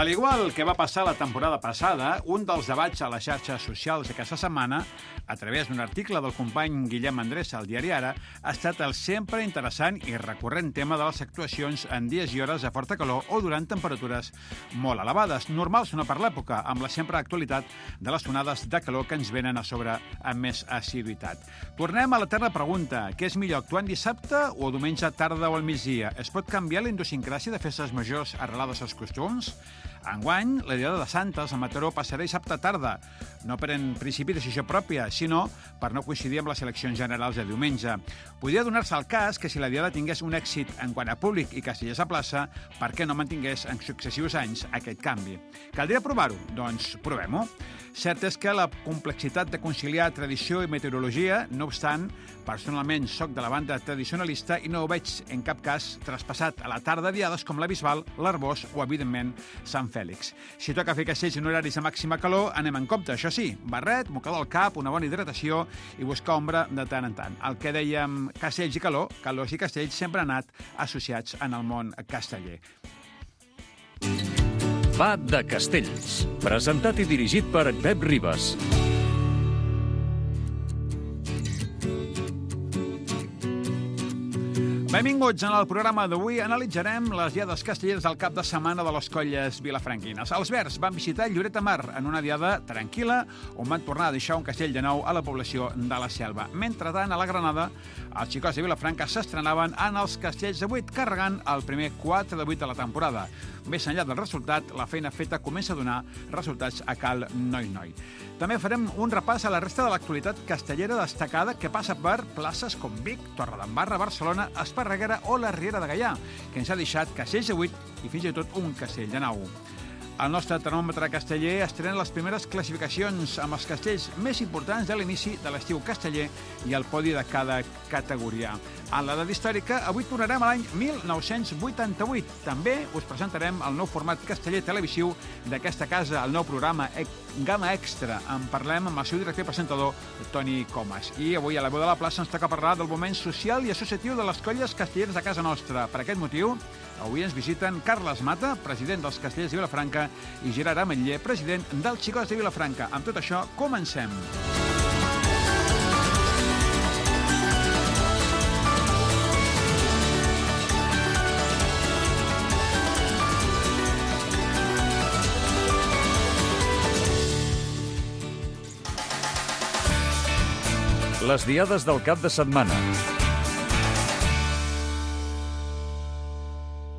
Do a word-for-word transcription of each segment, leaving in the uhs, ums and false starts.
Al igual que va passar la temporada passada, un dels debats a les xarxes socials aquesta setmana, a través d'un article del company Guillem Andrés al diari Ara, ha estat el sempre interessant i recurrent tema de les actuacions en dies i hores de forta calor o durant temperatures molt elevades, normals o no per l'època, amb la sempre actualitat de les onades de calor que ens venen a sobre amb més assiduïtat. Tornem a l'eterna pregunta: què és millor, actuar en dissabte o diumenge tarda o al migdia? Es pot canviar la idiosincràsia de festes majors arrelades als costums? Enguany, la Diada de Santes a Mataró passarà dissabte tarda, no per en principi decisió pròpia, sinó per no coincidir amb les eleccions generals de diumenge. Podria donar-se el cas que si la Diada tingués un èxit en quant a públic i castellers a plaça, per què no mantingués en successius anys aquest canvi? Caldria provar-ho? Doncs provem-ho. Cert és que la complexitat de conciliar tradició i meteorologia, no obstant, personalment soc de la banda tradicionalista i no ho veig en cap cas traspassat a la tarda diades com la Bisbal, l'Arbós o, evidentment, Sant Fèlix. Si toca fer castells en horaris de màxima calor, anem en compte, això sí, barret, mocador al cap, una bona hidratació i buscar ombra de tant en tant. El que dèiem castells i calor, calors i castells sempre han anat associats en el món casteller. Va de Castells, presentat i dirigit per Pep Ribas. Benvinguts. En el programa d'avui analitzarem les diades castelleres del cap de setmana de les colles vilafranquines. Els Verds van visitar Lloret de Mar en una diada tranquil·la on van tornar a deixar un castell de nou a la població de la Selva. Mentrestant, a la Granada, els xicots de Vilafranca s'estrenaven en els castells de vuit, carregant el primer quatre de vuit de la temporada. Més enllà del resultat, la feina feta comença a donar resultats a Cal Noi-Noi. També farem un repàs a la resta de l'actualitat castellera destacada que passa per places com Vic, Torredembarra, Barcelona, Esparreguera o la Riera de Gaià, que ens ha deixat castells de vuit i fins i tot un castell de nou. El nostre termòmetre casteller estrena les primeres classificacions amb els castells més importants de l'inici de l'estiu casteller i el podi de cada categoria. En l'edat històrica, avui tornarem a l'any mil nou-cents vuitanta-vuit. També us presentarem el nou format casteller televisiu d'aquesta casa, el nou programa Gama Extra. En parlem amb el seu director i presentador, Toni Comas. I avui a la veu de la plaça ens toca parlar del moment social i associatiu de les colles castelleres de casa nostra. Per aquest motiu, avui ens visiten Carles Mata, president dels Castellers de Vilafranca, i Gerard Ametller, president dels Xicots de Vilafranca. Amb tot això, comencem. Les diades del cap de setmana.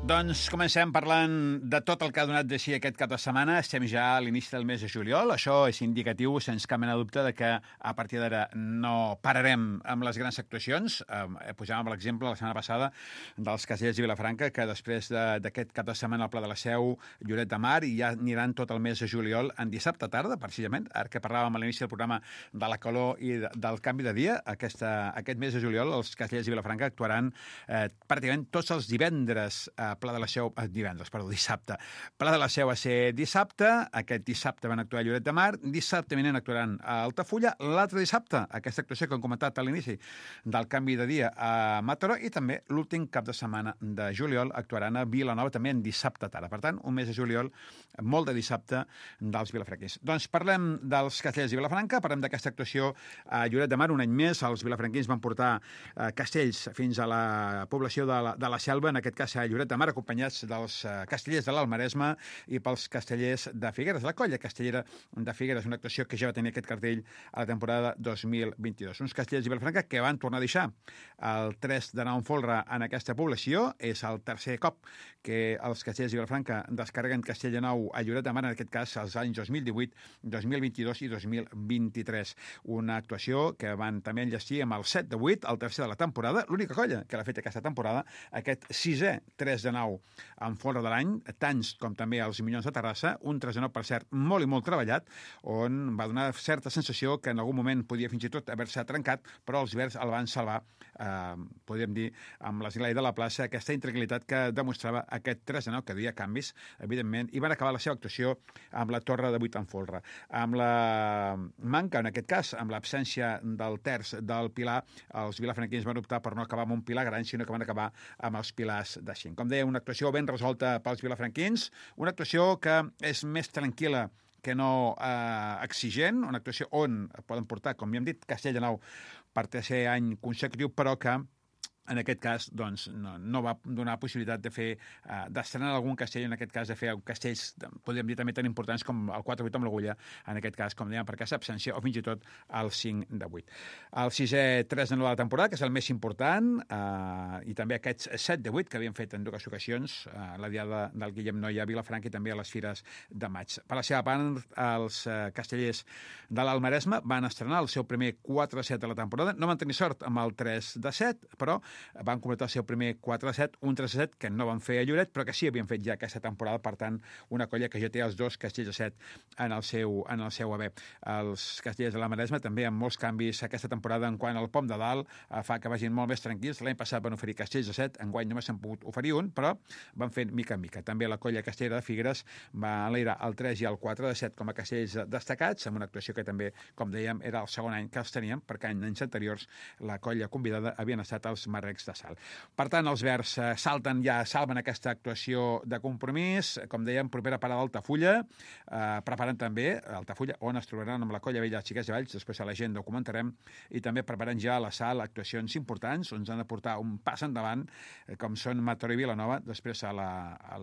Doncs comencem parlant de tot el que ha donat de si aquest cap de setmana. Estem ja a l'inici del mes de juliol. Això és indicatiu, sense cap mena de dubte, de que a partir d'ara no pararem amb les grans actuacions. Eh, posàvem l'exemple la setmana passada dels castellers de Vilafranca, que després d'aquest cap de setmana al Pla de la Seu, Lloret de Mar, i ja aniran tot el mes de juliol en dissabte tarda, precisament, ara que parlàvem a l'inici del programa de la calor i de, del canvi de dia. Aquesta, aquest mes de juliol els castellers de Vilafranca actuaran eh, pràcticament tots els divendres a Pla de la Seu, eh, divendres, perdó, dissabte. Pla de la Seu va ser dissabte, aquest dissabte van actuar a Lloret de Mar, dissabte vinent actuaran a Altafulla, l'altre dissabte, aquesta actuació que hem comentat a l'inici del canvi de dia a Mataró, i també l'últim cap de setmana de juliol actuaran a Vilanova, també en dissabte tarda. Per tant, un mes de juliol molt de dissabte dels vilafranquins. Doncs parlem dels castellers de Vilafranca, parlem d'aquesta actuació a Lloret de Mar. Un any més, els vilafranquins van portar eh, castells fins a la població de la, de la Selva, en aquest cas a Lloret de Mar, acompanyats dels uh, castellers de l'Almaresme i pels castellers de Figueres. La colla castellera de Figueres, una actuació que ja va tenir aquest cartell a la temporada dos mil vint-i-dos. Uns castellers de Vilafranca que van tornar a deixar el tres de nou en folre en aquesta població. És el tercer cop que els castellers de Vilafranca descarreguen castell de nou a Lloret de Mar, en aquest cas els anys dos mil divuit, dos mil vint-i-dos i dos mil vint-i-tres. Una actuació que van també enllestir amb el set de vuit, el tercer de la temporada, l'única colla que l'ha fet aquesta temporada, aquest sisè tres de nou en folre de l'any, tants com també els Minyons de Terrassa, un tres de nou, per cert, molt i molt treballat, on va donar certa sensació que en algun moment podia fins i tot haver-se trencat, però els Verds el van salvar, eh, podríem dir, amb l'esglaia de la plaça, aquesta intranquil·litat que demostrava aquest tres de nou, que duia canvis, evidentment, i van acabar la seva actuació amb la torre de vuit en folre. Amb la manca, en aquest cas, amb l'absència del terç del pilar, els vilafranquins van optar per no acabar amb un pilar gran, sinó que van acabar amb els pilars de cinc. Com deia, una actuació ben resolta pels vilafranquins, una actuació que és més tranquil·la que no eh, exigent, una actuació on poden portar, com ja hem dit, Castell de Nou per tercer any consecutiu, però que en aquest cas, doncs, no, no va donar possibilitat de fer, uh, d'estrenar algun castell, en aquest cas de fer castells, podríem dir també tan importants com el quatre vuit amb l'agulla, en aquest cas, com dèiem, per aquesta absència, o fins i tot el cinc de vuit. El sisè tres de nou de la temporada, que és el més important, uh, i també aquests set de vuit que havien fet en dues ocasions, uh, la diada del Guillem Noia a Vilafranca i també a les Fires de Maig. Per la seva part, els uh, castellers de l'Almaresme van estrenar el seu primer quatre de set de la temporada. No van tenir sort amb el tres de set, però van completar el seu primer quatre de set, un tres de set que no van fer a Lloret, però que sí havien fet ja aquesta temporada, per tant, una colla que ja té els dos castells de set en el seu, en el seu haver. Els castellers de la Maresma també amb molts canvis aquesta temporada en quant al pom de dalt, eh, fa que vagin molt més tranquils. L'any passat van oferir castells de set, enguany només s'han pogut oferir un, però van fent mica en mica. També la colla castellera de Figueres va enlairar el tres i el quatre de set com a castells destacats, amb una actuació que també, com dèiem, era el segon any que els teníem, perquè en anys anteriors la colla convidada havien estat els Marrecs de Salt. Per tant, els verds eh, salten ja, salven aquesta actuació de compromís, com dèiem, propera parada d'Altafulla, eh, preparant també Altafulla, on es trobaran amb la colla vella de Xiquets de Valls, després a la gent ho comentarem, i també preparant ja a la sal actuacions importants, on ens han de portar un pas endavant, eh, com són Mataró i Vilanova. Després a la, a,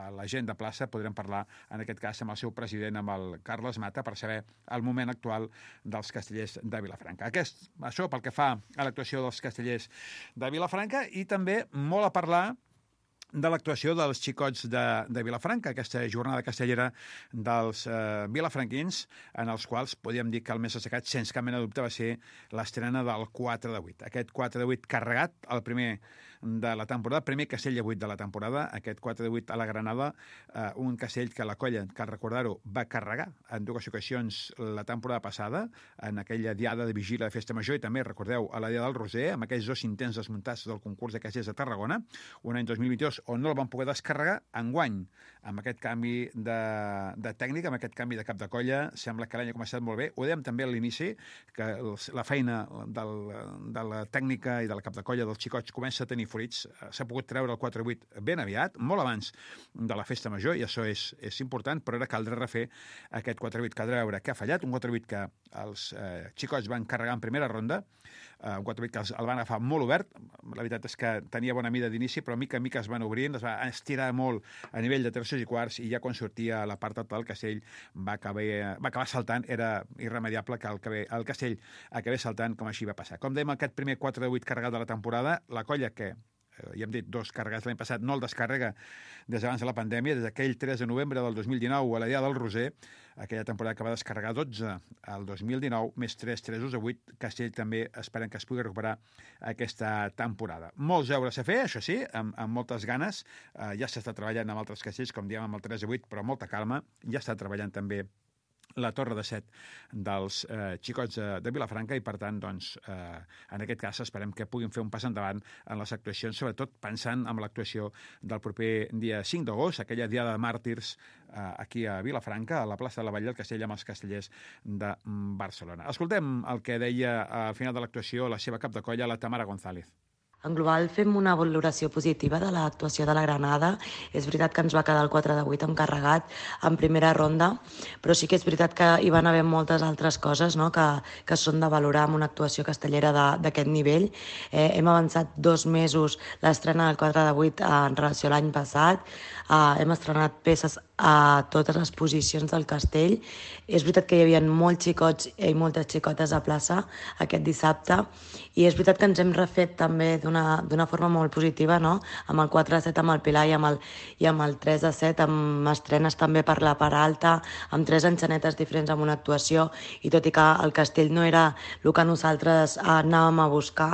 a la gent de plaça podrem parlar, en aquest cas, amb el seu president, amb el Carles Mata, per saber el moment actual dels castellers de Vilafranca. Aquest, això pel que fa a l'actuació dels castellers de Vilafranca, i també molt a parlar de l'actuació dels xicots de, de Vilafranca, aquesta jornada castellera dels eh, vilafranquins, en els quals podríem dir que el més destacat, sense cap mena de dubte, va ser l'estrena del quatre de vuit. Aquest quatre de vuit carregat, el primer de la temporada, primer castell de vuit de la temporada, aquest quatre de vuit a la Granada, eh, un castell que la colla, cal recordar-ho, va carregar en dues ocasions la temporada passada, en aquella diada de vigília de Festa Major, i també, recordeu, a la diada del Roser, amb aquells dos intents desmuntats del concurs de castells de Tarragona, un any dos mil vint-i-dos, on no el van poder descarregar, enguany, amb aquest canvi de, de tècnica, amb aquest canvi de cap de colla, sembla que l'any ha començat molt bé. Ho dèiem també a l'inici, que els, la feina del, de la tècnica i del cap de colla dels xicots comença a tenir fruits. S'ha pogut treure el quatre vuit ben aviat, molt abans de la Festa Major, i això és, és important, però ara caldrà refer aquest quatre vuit. Caldrà veure què ha fallat, un quatre vuit que els eh, xicots van carregar en primera ronda, uh, un quatre vuit que els, el van agafar molt obert. La veritat és que tenia bona mida d'inici, però mica en mica es van obrint, es va estirar molt a nivell de terços i quarts, i ja quan sortia a la part alta del castell va acabar, va acabar saltant. Era irremediable que el, el castell acabés saltant, com així va passar. Com dèiem, aquest primer quatre de vuit carregat de la temporada, la colla que ja hem dit, dos carregats l'any passat, no el descàrrega des d'abans de la pandèmia, des d'aquell tres de novembre del dos mil dinou a la diada del Roser, aquella temporada que va descarregar dotze al dos mil dinou, més tres, tres a vuit, Castell també esperen que es pugui recuperar aquesta temporada. Molts deures a fer, això sí, amb, amb moltes ganes, eh, ja s'està treballant amb altres castells, com diem amb el tres a vuit, però molta calma, ja està treballant també la torre de set dels eh, xicots de, de Vilafranca, i per tant, doncs, eh, en aquest cas esperem que puguin fer un pas endavant en les actuacions, sobretot pensant en l'actuació del proper dia cinc d'agost, aquella diada de màrtirs eh, aquí a Vilafranca, a la plaça de la Vall del Castell, amb els castellers de Barcelona. Escoltem el que deia al final de l'actuació la seva cap de colla, la Tamara González. En global fem una valoració positiva de l'actuació de la Granada. És veritat que ens va quedar el quatre de vuit encarregat en primera ronda, però sí que és veritat que hi van haver moltes altres coses, no?, que, que són de valorar amb una actuació castellera d'aquest nivell. Eh, hem avançat dos mesos l'estrena del quatre de vuit en relació a l'any passat. Uh, hem estrenat peces a totes les posicions del castell. És veritat que hi havia molts xicots i moltes xicotes a plaça aquest dissabte, i és veritat que ens hem refet també d'una forma molt positiva, no?, amb el quatre de set amb el Pilar i amb el, i amb el tres de set, amb estrenes també per la part alta, amb tres enxanetes diferents amb una actuació, i tot i que el castell no era el que nosaltres uh, anàvem a buscar,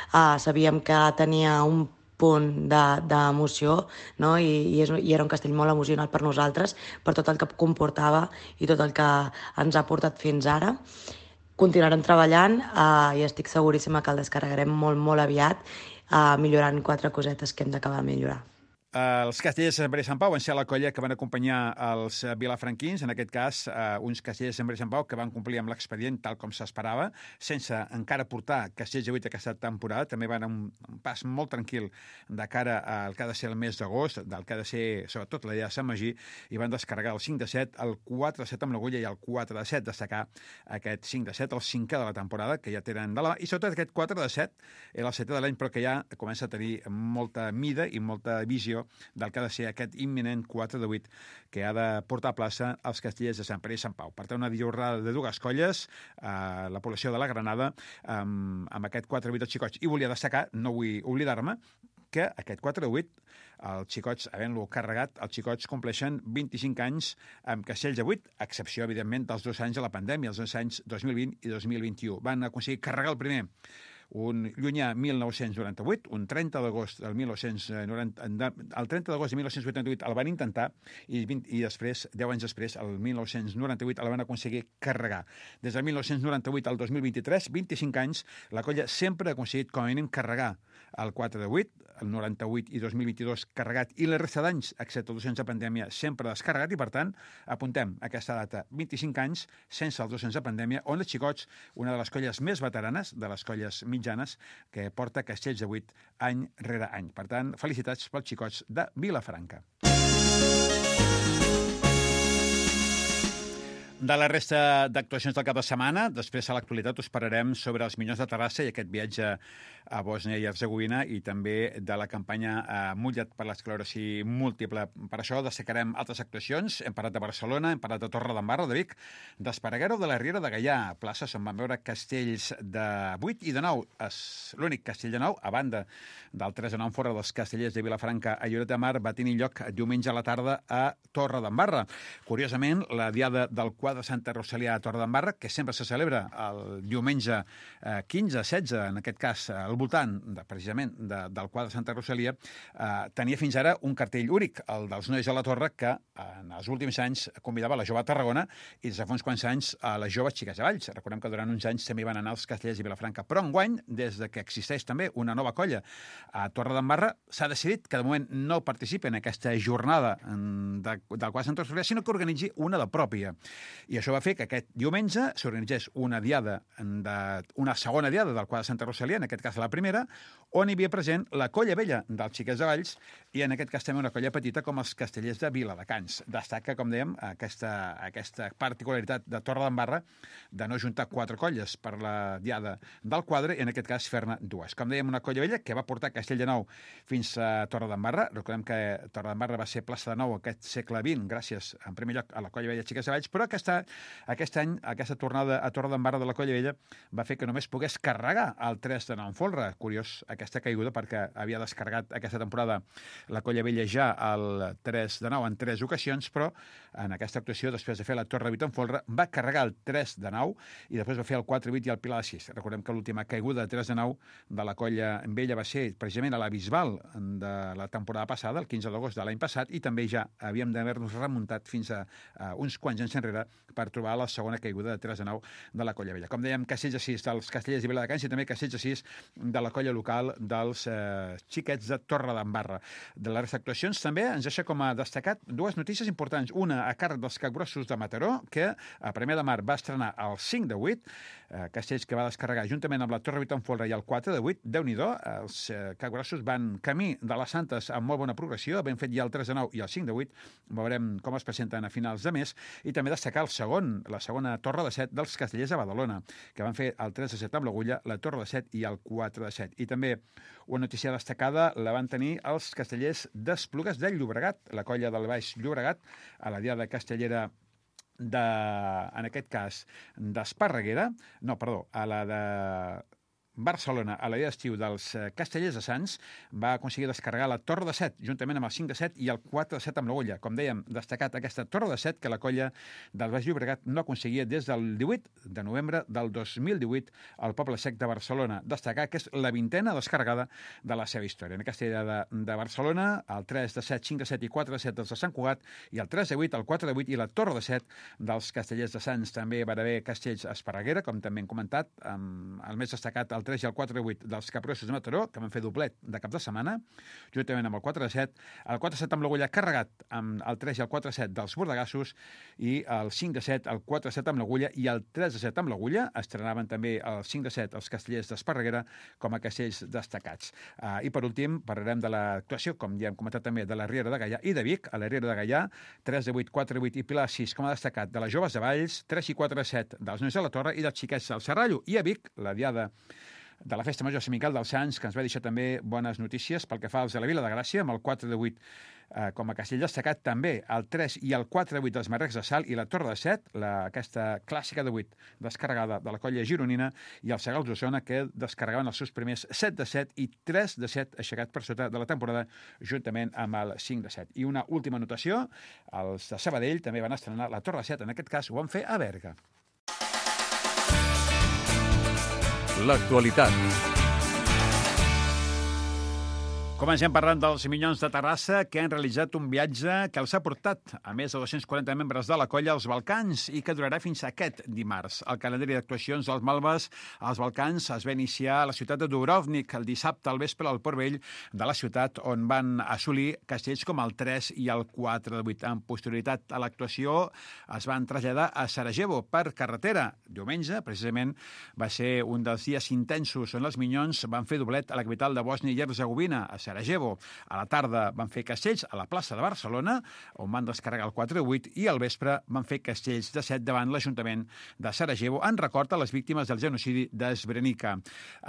uh, sabíem que tenia un punt d'emoció, no? I, i, és, i era un castell molt emocional per nosaltres, per tot el que comportava i tot el que ens ha portat fins ara. Continuarem treballant eh, i estic seguríssima que el descarregarem molt, molt aviat, eh, millorant quatre cosetes que hem d'acabar de millorar. Els castellers de Sant Pere i Sant Pau van ser la colla que van acompanyar els vilafranquins, en aquest cas, eh, uns castellers de Sant Pere i Sant Pau que van complir amb l'expedient tal com s'esperava, sense encara portar castells de vuit aquesta temporada. També van un, un pas molt tranquil de cara al que ha de ser el mes d'agost, del que ha de ser, sobretot, la idea de Sant Magí, i van descarregar el cinc de set, el quatre de set amb l'Agulla i el quatre de set, destacar aquest cinc de set, el cinquè de la temporada, que ja tenen de la mà, i sobretot aquest quatre de set, era el setè de l'any, però que ja comença a tenir molta mida i molta visió del que ha de ser aquest imminent quatre de vuit que ha de portar a plaça els castellers de Sant Pere i Sant Pau. Per tant, una jornada de dues colles, eh, la població de la Granada, amb, amb aquest quatre de vuit dels xicots. I volia destacar, no vull oblidar-me, que aquest quatre de vuit, els xicots, havent-lo carregat, els xicots compleixen vint-i-cinc anys amb castells de vuit, a excepció, evidentment, dels dos anys de la pandèmia, els dos anys dos mil vint i dos mil vint-i-u. Van aconseguir carregar el primer un llunyà mil nou-cents noranta-vuit, un trenta d'agost del mil nou-cents noranta, el trenta d'agost de mil nou-cents vuitanta-vuit el van intentar i, vint, i després, deu anys després, el mil nou-cents noranta-vuit el van aconseguir carregar. Des del mil nou-cents noranta-vuit al dos mil vint-i-tres, vint-i-cinc anys, la colla sempre ha aconseguit com a mínim carregar el quatre de vuit, el noranta-vuit i dos mil vint-i-dos carregat, i la resta d'anys, excepte dos anys de pandèmia, sempre descarregat, i per tant, apuntem aquesta data, vint-i-cinc anys, sense els dos anys de pandèmia, on els xicots, una de les colles més veteranes, de les colles mitjanes, que porta castells de vuit any rere any. Per tant, felicitats pels xicots de Vilafranca. De la resta d'actuacions del cap de setmana, després a l'actualitat us parlarem sobre els Minyons de Terrassa i aquest viatge a Bòsnia i Hercegovina, i també de la campanya eh, Mulla't per l'esclerosi múltiple. Per això destacarem altres actuacions. Hem parlat de Barcelona, hem parlat de Torredembarra, de Vic, d'Esparreguera o de la Riera de Gaià, places on van veure castells de vuit i de nou. És l'únic castell de nou, a banda del tres de nou fora dels castellers de Vilafranca a Lloret de Mar, va tenir lloc diumenge a la tarda a Torredembarra. Curiosament, la diada del quadre de Santa Rosalia a Torredembarra, que sempre se celebra el diumenge eh, quinze, setze, en aquest cas, al voltant, de, precisament, de, del quadre de Santa Rosalia, eh, tenia fins ara un cartell únic, el dels Nois de la Torre, que en els últims anys convidava la jove a Tarragona i des de fa uns quants anys a les joves xiques de Valls. Recordem que durant uns anys també van anar els castellers i Vilafranca. Però enguany, des de que existeix també una nova colla a Torredembarra, s'ha decidit que de moment no participi en aquesta jornada de, del quadre de Santa Rosalia, sinó que organitzi una de pròpia. I això va fer que aquest diumenge s'organitzés una diada, de, una segona diada del quadre de Santa Rosalia, en aquest cas la primera, on hi havia present la colla vella dels xiquets de Valls i en aquest cas també una colla petita com els castellers de Viladecans. Destaca, com dèiem, aquesta, aquesta particularitat de Torredembarra de no juntar quatre colles per la diada del quadre i en aquest cas fer-ne dues. Com dèiem, una colla vella que va portar Castelldefels fins a Torredembarra. Recordem que Torredembarra va ser plaça de nou aquest segle vint gràcies, en primer lloc, a la colla vella Xiques de Valls, però aquesta, aquest any, aquesta tornada a Torredembarra de la colla vella va fer que només pogués carregar el tres de nou en folre. Curiós aquesta caiguda perquè havia descarregat aquesta temporada la colla vella ja el tres de nou en tres ocasions, però en aquesta actuació, després de fer la torre vuit en folre, va carregar el tres de nou i després va fer el quatre vuit i el pilar de sis. Recordem que l'última caiguda de tres de nou de la colla vella va ser precisament a la Bisbal de la temporada passada, el quinze d'agost de l'any passat, i també ja havíem d'haver-nos remuntat fins a, a uns quants anys enrere per trobar la segona caiguda de tres de nou de la colla vella. Com dèiem, castells de sis dels castellers de Viladecans i també castells de sis de la colla local dels eh, xiquets de Torredembarra. De les actuacions també ens deixa com a destacat dues notícies importants. Una a càrrec dels capgrossos de Mataró, que a Premià de Mar va estrenar el cinc de vuit, eh, castells que va descarregar juntament amb la torre vuit en folre i el quatre de vuit. Déu-n'hi-do, els eh, capgrossos van camí de les Santes amb molt bona progressió, ben fet ja el tres de nou i el cinc de vuit. Veurem com es presenten a finals de mes. I també destacar el segon, la segona torre de set dels castellers de Badalona, que van fer el tres de set amb l'Agulla, la torre de set i el quatre de set. I també una notícia destacada la van tenir els castellers d'Esplugues de Llobregat, la colla del Baix Llobregat, a la diada castellera de, en aquest cas, d'Esparreguera, no, perdó, a la de Barcelona, a la dia d'estiu dels Castellers de Sants, va aconseguir descarregar la torre de set, juntament amb el cinc de set i el quatre de set amb l'Agulla. Com dèiem, destacat aquesta torre de set que la colla del Baix Llobregat no aconseguia des del divuit de novembre del dos mil divuit al Poble Sec de Barcelona. Destacar que és la vintena descarregada de la seva història. En aquesta idea de, de Barcelona, el tres de set, cinc de set i quatre de set dels de Sant Cugat, i el tres de vuit, el quatre de vuit i la torre de set dels Castellers de Sants. També va haver castells a Esparreguera, com també hem comentat, amb el més destacat, el el tres i el quatre de vuit dels Capgrossos de Mataró, que van fer doblet de cap de setmana, juntament amb el quatre de set, el quatre de set amb l'Agulla carregat amb el tres i el quatre de set dels Bordegassos, i el cinc de set, el quatre de set amb l'Agulla i el tres de set amb l'Agulla. Estrenaven també el cinc de set els Castellers d'Esparreguera com a castells destacats. Uh, I per últim parlarem de l'actuació, com ja hem comentat també, de la Riera de Gaià i de Vic. A la Riera de Gaià, tres de vuit, quatre de vuit i Pilar sis com a destacat de les joves de Valls, tres i quatre de set dels nois de la Torre i dels xiquets del Serrallo. I a Vic, la diada de la Festa Major Sant Miquel dels Sants, que ens va deixar també bones notícies pel que fa als de la Vila de Gràcia, amb el quatre de vuit eh, com a castell destacat, també el tres i el quatre de vuit dels Marrecs de Sal i la Torre de set, la, aquesta clàssica de vuit descarregada de la colla gironina, i el Segals d'Osona, que descarregaven els seus primers set de set i tres de set aixecat per sota de la temporada, juntament amb el cinc de set. I una última anotació, els de Sabadell també van estrenar la Torre de set, en aquest cas ho van fer a Berga. L'actualitat. Comencem parlant dels Minyons de Terrassa, que han realitzat un viatge que els ha portat a més de dos-cents quaranta membres de la colla als Balcans i que durarà fins a aquest dimarts. El calendari d'actuacions dels Malves als Balcans es va iniciar a la ciutat de Dubrovnik el dissabte al vespre al Port Vell de la ciutat, on van assolir castells com el tres i el quatre de vuit. En posterioritat a l'actuació es van traslladar a Sarajevo per carretera. Diumenge, precisament, va ser un dels dies intensos on els Minyons van fer doblet a la capital de Bòsnia i Herzegovina, a Sarajevo. A la tarda van fer castells a la plaça de Barcelona, on van descarregar el quatre de vuit, i al vespre van fer castells de set davant l'Ajuntament de Sarajevo en record a les víctimes del genocidi de Srebrenica.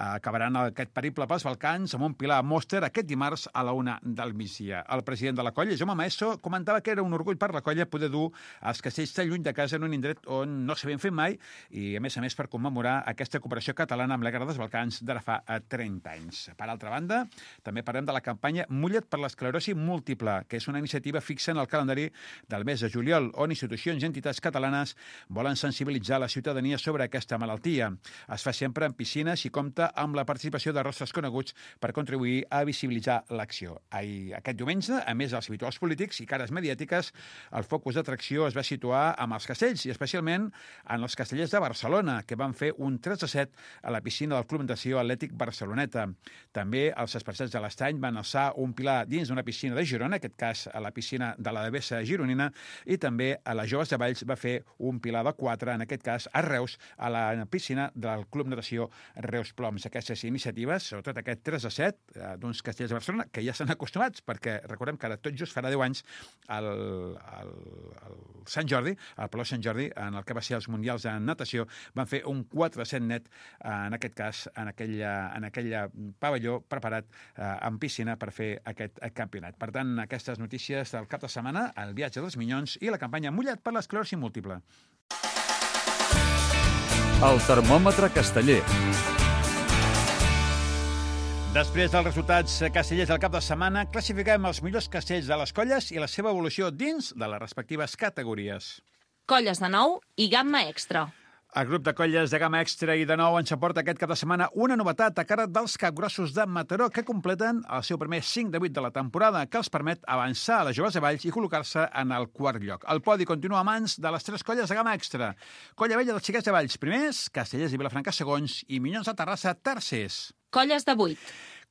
Acabaran aquest periple pels Balcans amb un pilar a Mòster aquest dimarts a la una del migdia. El president de la colla, Jaume Maeso, comentava que era un orgull per la colla poder dur els castells tan lluny de casa en un indret on no s'havien fet mai i, a més a més, per commemorar aquesta cooperació catalana amb la Guerra dels Balcans d'ara fa trenta anys. Per altra banda, també parlem de la campanya Mulla't per l'esclerosi múltiple, que és una iniciativa fixa en el calendari del mes de juliol, on institucions i entitats catalanes volen sensibilitzar la ciutadania sobre aquesta malaltia. Es fa sempre en piscines i compta amb la participació de rostres coneguts per contribuir a visibilitzar l'acció. Aquest diumenge, a més dels habituals polítics i cares mediàtiques, el focus d'atracció es va situar amb els castells, i especialment en els castellers de Barcelona, que van fer un tres a set a la piscina del Club Natació Atlètic Barceloneta. També els esparçats de l'Estany van alçar un pilar dins d'una piscina de Girona, en aquest cas a la piscina de la Devesa gironina, i també a les Joves de Valls va fer un pilar de quatre, en aquest cas a Reus, a la piscina del Club Natació Reus Ploms. Aquestes iniciatives, sobretot aquest tres a set d'uns castells de Barcelona, que ja s'han acostumats, perquè recordem que ara tot just farà deu anys el, el, el Sant Jordi, el Palau Sant Jordi, en el que va ser els Mundials de Natació, van fer un quatre a set net, en aquest cas, en aquell, en aquell pavelló preparat eh, en piscina per fer aquest campionat. Per tant, aquestes notícies del cap de setmana, el viatge dels Minyons i la campanya Mulla't per l'esclerosi múltiple. El termòmetre casteller. Després dels resultats castellers del cap de setmana, classifiquem els millors castells de les colles i la seva evolució dins de les respectives categories. Colles de nou i gamma extra. El grup de colles de gamma extra i de nou ens aporta aquest cap de setmana una novetat a càrrec dels Capgrossos de Mataró, que completen el seu primer cinc de vuit de la temporada, que els permet avançar a les Joves de Valls i col·locar-se en el quart lloc. El podi continua a mans de les tres colles de gamma extra. Colla Vella dels Xiquets de Valls primers, Castellers i Vilafranca segons i Minyons de Terrassa tercers. Colles de vuit.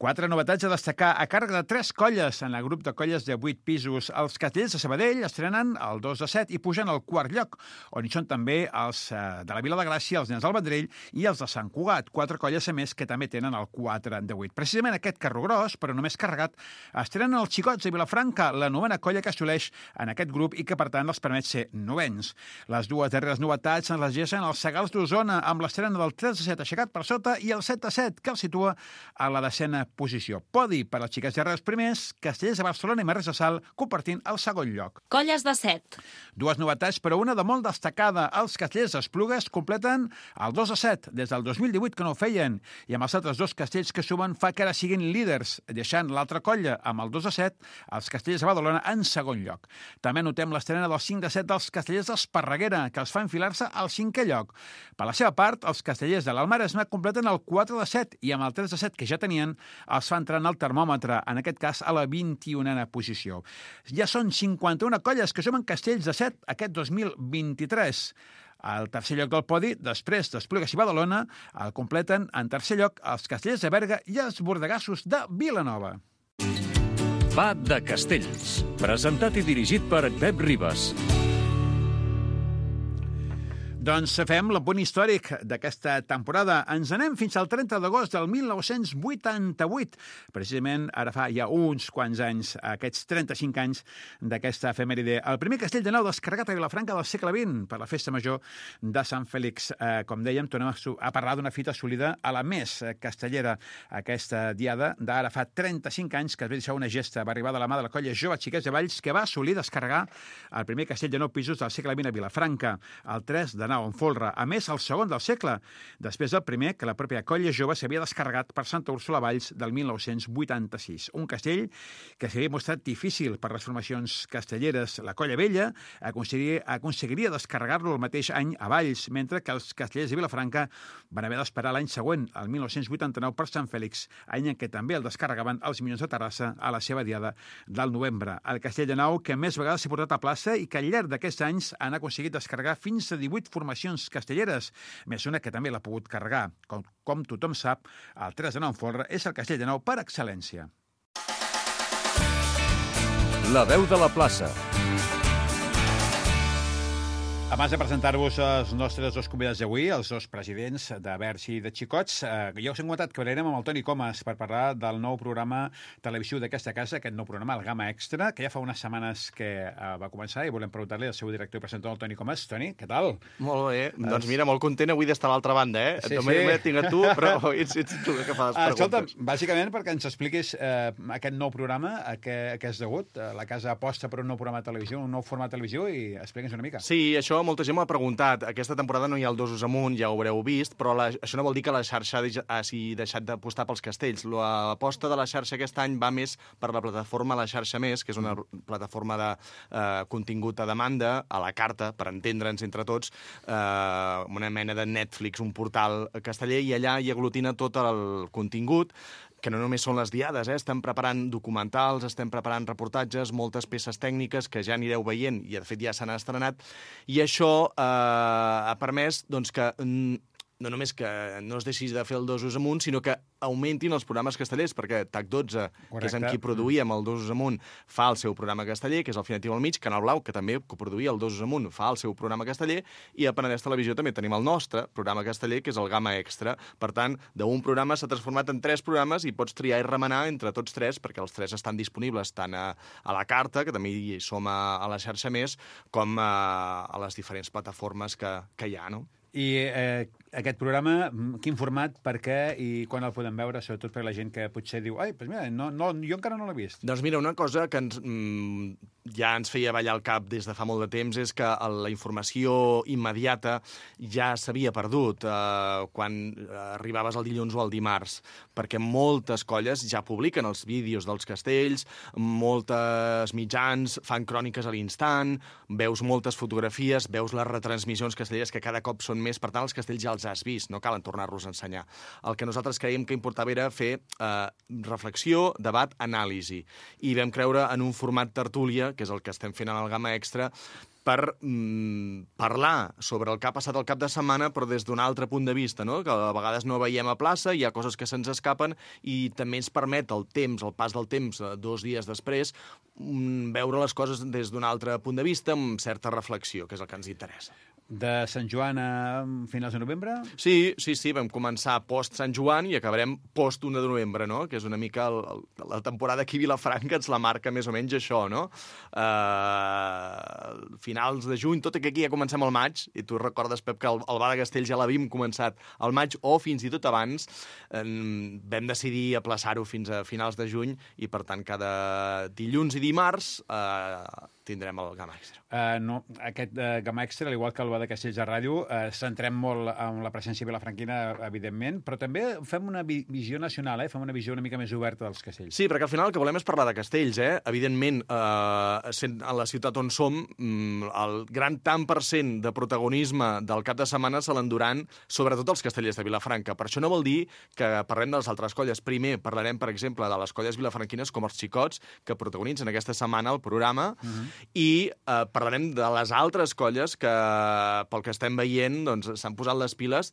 Quatre novetats a destacar a càrrec de tres colles en el grup de colles de vuit pisos. Els Castellers de Sabadell estrenen el dos de set i pugen al quart lloc, on hi són també els de la Vila de Gràcia, els Nens del Vendrell i els de Sant Cugat, quatre colles a més que també tenen el quatre de vuit. Precisament aquest carro gros, però només carregat, estrenen els Xicots de Vilafranca, la novena colla que assoleix en aquest grup i que, per tant, els permet ser novens. Les dues darreres novetats ens les llegeixen els Segals d'Osona, amb l'estrena del tres de set aixecat per sota i el set de set, que el situa a la decena posició. Podi per als Xiquets de Reus primers, Castellers de Barcelona i Marres de Sal compartint el segon lloc. Colles de set. Dues novetats, però una de molt destacada. Els Castellers d'Esplugues completen el dos de set des del dos mil divuit, que no ho feien, i amb els altres dos castells que sumen fa que ara siguin líders, deixant l'altra colla amb el dos de set, els Castellers de Badalona en segon lloc. També notem l'estrena del cinc de set dels Castellers d'Esparreguera, que els fa enfilar-se al cinquè lloc. Per la seva part, els Castellers de l'Almaresme completen el quatre de set i amb el tres de set que ja tenien els fa entrar en el termòmetre, en aquest cas a la vint-i-unena posició. Ja són cinquanta-una colles que sumen castells de set aquest dos mil vint-i-tres. al tercer lloc del podi, després d'Esplugues i Badalona, el completen en tercer lloc els Castellers de Berga i els Bordegassos de Vilanova. Va de Castells, presentat i dirigit per Pep Ribas. Doncs fem l'apunt històric d'aquesta temporada. Ens anem fins al trenta d'agost del mil nou-cents vuitanta-vuit. Precisament ara fa ja uns quants anys, aquests trenta-cinc anys d'aquesta efemèride. El primer castell de nou descarregat a Vilafranca del segle vint per la festa major de Sant Fèlix. Eh, com dèiem, tornem a, a parlar d'una fita assolida a la més castellera. Aquesta diada d'ara fa trenta-cinc anys que es va deixar una gesta. Va arribar de la mà de la colla Jove Xiquets de Valls que va assolir descarregar el primer castell de nou pisos del segle vint a Vilafranca, el tres de en folre. A més, el segon del segle, després del primer que la pròpia colla jove s'havia descarregat per Santa Úrsula Valls del mil nou-cents vuitanta-sis. Un castell que s'havia mostrat difícil per les formacions castelleres. La colla vella aconseguiria, aconseguiria descarregar-lo el mateix any a Valls, mentre que els castellers de Vilafranca van haver d'esperar l'any següent, el mil nou-cents vuitanta-nou, per Sant Fèlix, any en què també el descarregaven els Minyons de Terrassa a la seva diada del novembre. El castell de nou que més vegades s'ha portat a plaça i que al llarg d'aquests anys han aconseguit descarregar fins a divuit formacions castelleres, més una que també l'ha pogut carregar. Com, com tothom sap, el tres de nou en folre és el castell de nou per excel·lència. La veu de la plaça. Abans de presentar-vos els nostres dos convidats d'avui, els dos presidents de Verge i de Xicots, eh, ja us hem comentat que parlarem amb el Toni Comas per parlar del nou programa televisiu d'aquesta casa, aquest nou programa, el Gamma Extra, que ja fa unes setmanes que eh, va començar i volem preguntar-li al seu director i presentador, el Toni Comas. Toni, què tal? Molt bé. Es... Doncs mira, molt content avui d'estar a l'altra banda, eh? Sí, Només sí. m'he tingut tu, però ets, ets tu que fa les Ah, preguntes. escolta, bàsicament perquè ens expliquis eh, aquest nou programa, a què, a què és degut. Eh, la casa aposta per un nou programa de televisió, un nou format de televisió, i explica'ns una mica. Sí, això molta gent m'ha preguntat. Aquesta temporada no hi ha el Dosos amunt, ja ho haureu vist, però la, això no vol dir que la xarxa hagi deixat d'apostar pels castells. L'aposta de la xarxa aquest any va més per la plataforma La Xarxa Més, que és una plataforma de eh, contingut a demanda, a la carta, per entendre'ns entre tots, eh, una mena de Netflix, un portal casteller, i allà hi aglutina tot el contingut, que no només són les diades, eh? Estem preparant documentals, estem preparant reportatges, moltes peces tècniques que ja anireu veient i, de fet, ja s'han estrenat. I això eh, ha permès doncs, que no només que no es deixi de fer el Dosos amunt, sinó que augmentin els programes castellers, perquè T A C dotze, Correcte. Que és amb qui produïem el Dosos amunt, fa el seu programa casteller, que és el Finatiu al mig, Canal Blau, que també coproduïa el Dosos amunt, fa el seu programa casteller, i a Penedès Televisió també tenim el nostre programa casteller, que és el Gamma Extra. Per tant, d'un programa s'ha transformat en tres programes i pots triar i remenar entre tots tres, perquè els tres estan disponibles tant a, a la carta, que també hi som a, a la xarxa més, com a, a les diferents plataformes que, que hi ha, no? I eh, aquest programa, quin format, per què i quan el podem veure, sobretot per la gent que potser diu ai, doncs mira, no, no, jo encara no l'he vist. Doncs mira, una cosa que ens, mm, ja ens feia ballar el cap des de fa molt de temps és que la informació immediata ja s'havia perdut eh, quan arribaves el dilluns o el dimarts, perquè moltes colles ja publiquen els vídeos dels castells, moltes mitjans fan cròniques a l'instant, veus moltes fotografies, veus les retransmissions castelleres que cada cop són més, per tant, els castells ja els has vist, no calen tornar-los a ensenyar. El que nosaltres creiem que importava era fer eh, reflexió, debat, anàlisi. I vam creure en un format tertúlia, que és el que estem fent en el Gamma Extra, per mm, parlar sobre el que ha passat el cap de setmana, però des d'un altre punt de vista, no? Que a vegades no veiem a plaça, hi ha coses que se'ns escapen i també ens permet el temps, el pas del temps, dos dies després, mm, veure les coses des d'un altre punt de vista, amb certa reflexió, que és el que ens interessa. De Sant Joan a finals de novembre? Sí, sí, sí, vam començar post Sant Joan i acabarem post un de novembre, no? Que és una mica el, el, la temporada aquí a Vilafranca ens la marca més o menys això, no? Uh, finals de juny, tot i que aquí ja comencem al maig, i tu recordes, Pep, que el, el Bar de Castells ja l'havíem començat al maig o fins i tot abans, um, vam decidir aplaçar-ho fins a finals de juny i, per tant, cada dilluns i dimarts uh, tindrem el Gamma Extra. Uh, no, aquest uh, Gamma Extra, al igual que el Bar de Castells de Ràdio, uh, centrem molt en la presència vilafranquina, evidentment, però també fem una vi visió nacional, eh? Fem una visió una mica més oberta dels castells. Sí, perquè al final el que volem és parlar de castells, eh? Evidentment, eh, sent a la ciutat on som, el gran tant per cent de protagonisme del cap de setmana se l'enduran sobretot els castellers de Vilafranca. Per això no vol dir que parlem de les altres colles. Primer parlarem, per exemple, de les colles vilafranquines com els Xicots, que protagonitzen aquesta setmana el programa, uh-huh. i eh, parlarem de les altres colles que pel que estem veient, doncs, s'han posat les piles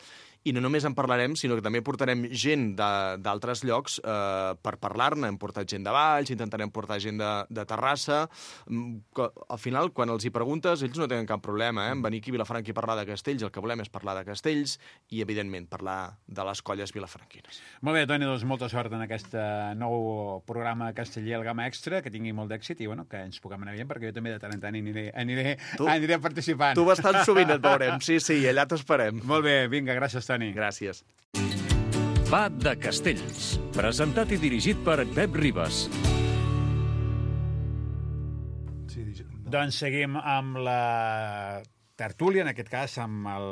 i no només en parlarem, sinó que també portarem gent d'altres llocs eh, per parlar-ne. Hem portat gent de Valls, intentarem portar gent de, de Terrassa. Al final, quan els hi preguntes, ells no tenen cap problema, eh? En venir aquí a Vilafranca i parlar de Castells, el que volem és parlar de Castells i, evidentment, parlar de les colles vilafranquines. Molt bé, Toni, doncs molta sort en aquest nou programa casteller, el Gamma Extra, que tingui molt d'èxit i, bueno, que ens puguem anar veient, perquè jo també de tant en tant aniré, aniré, tu, aniré participant. Tu bastant sovint et veurem, sí, sí, allà t'esperem. Molt bé, vinga, gràcies, Toni. Gràcies. Va de Castells, presentat i dirigit per Pep Ribas. Doncs seguim amb la tertúlia, en aquest cas, amb el,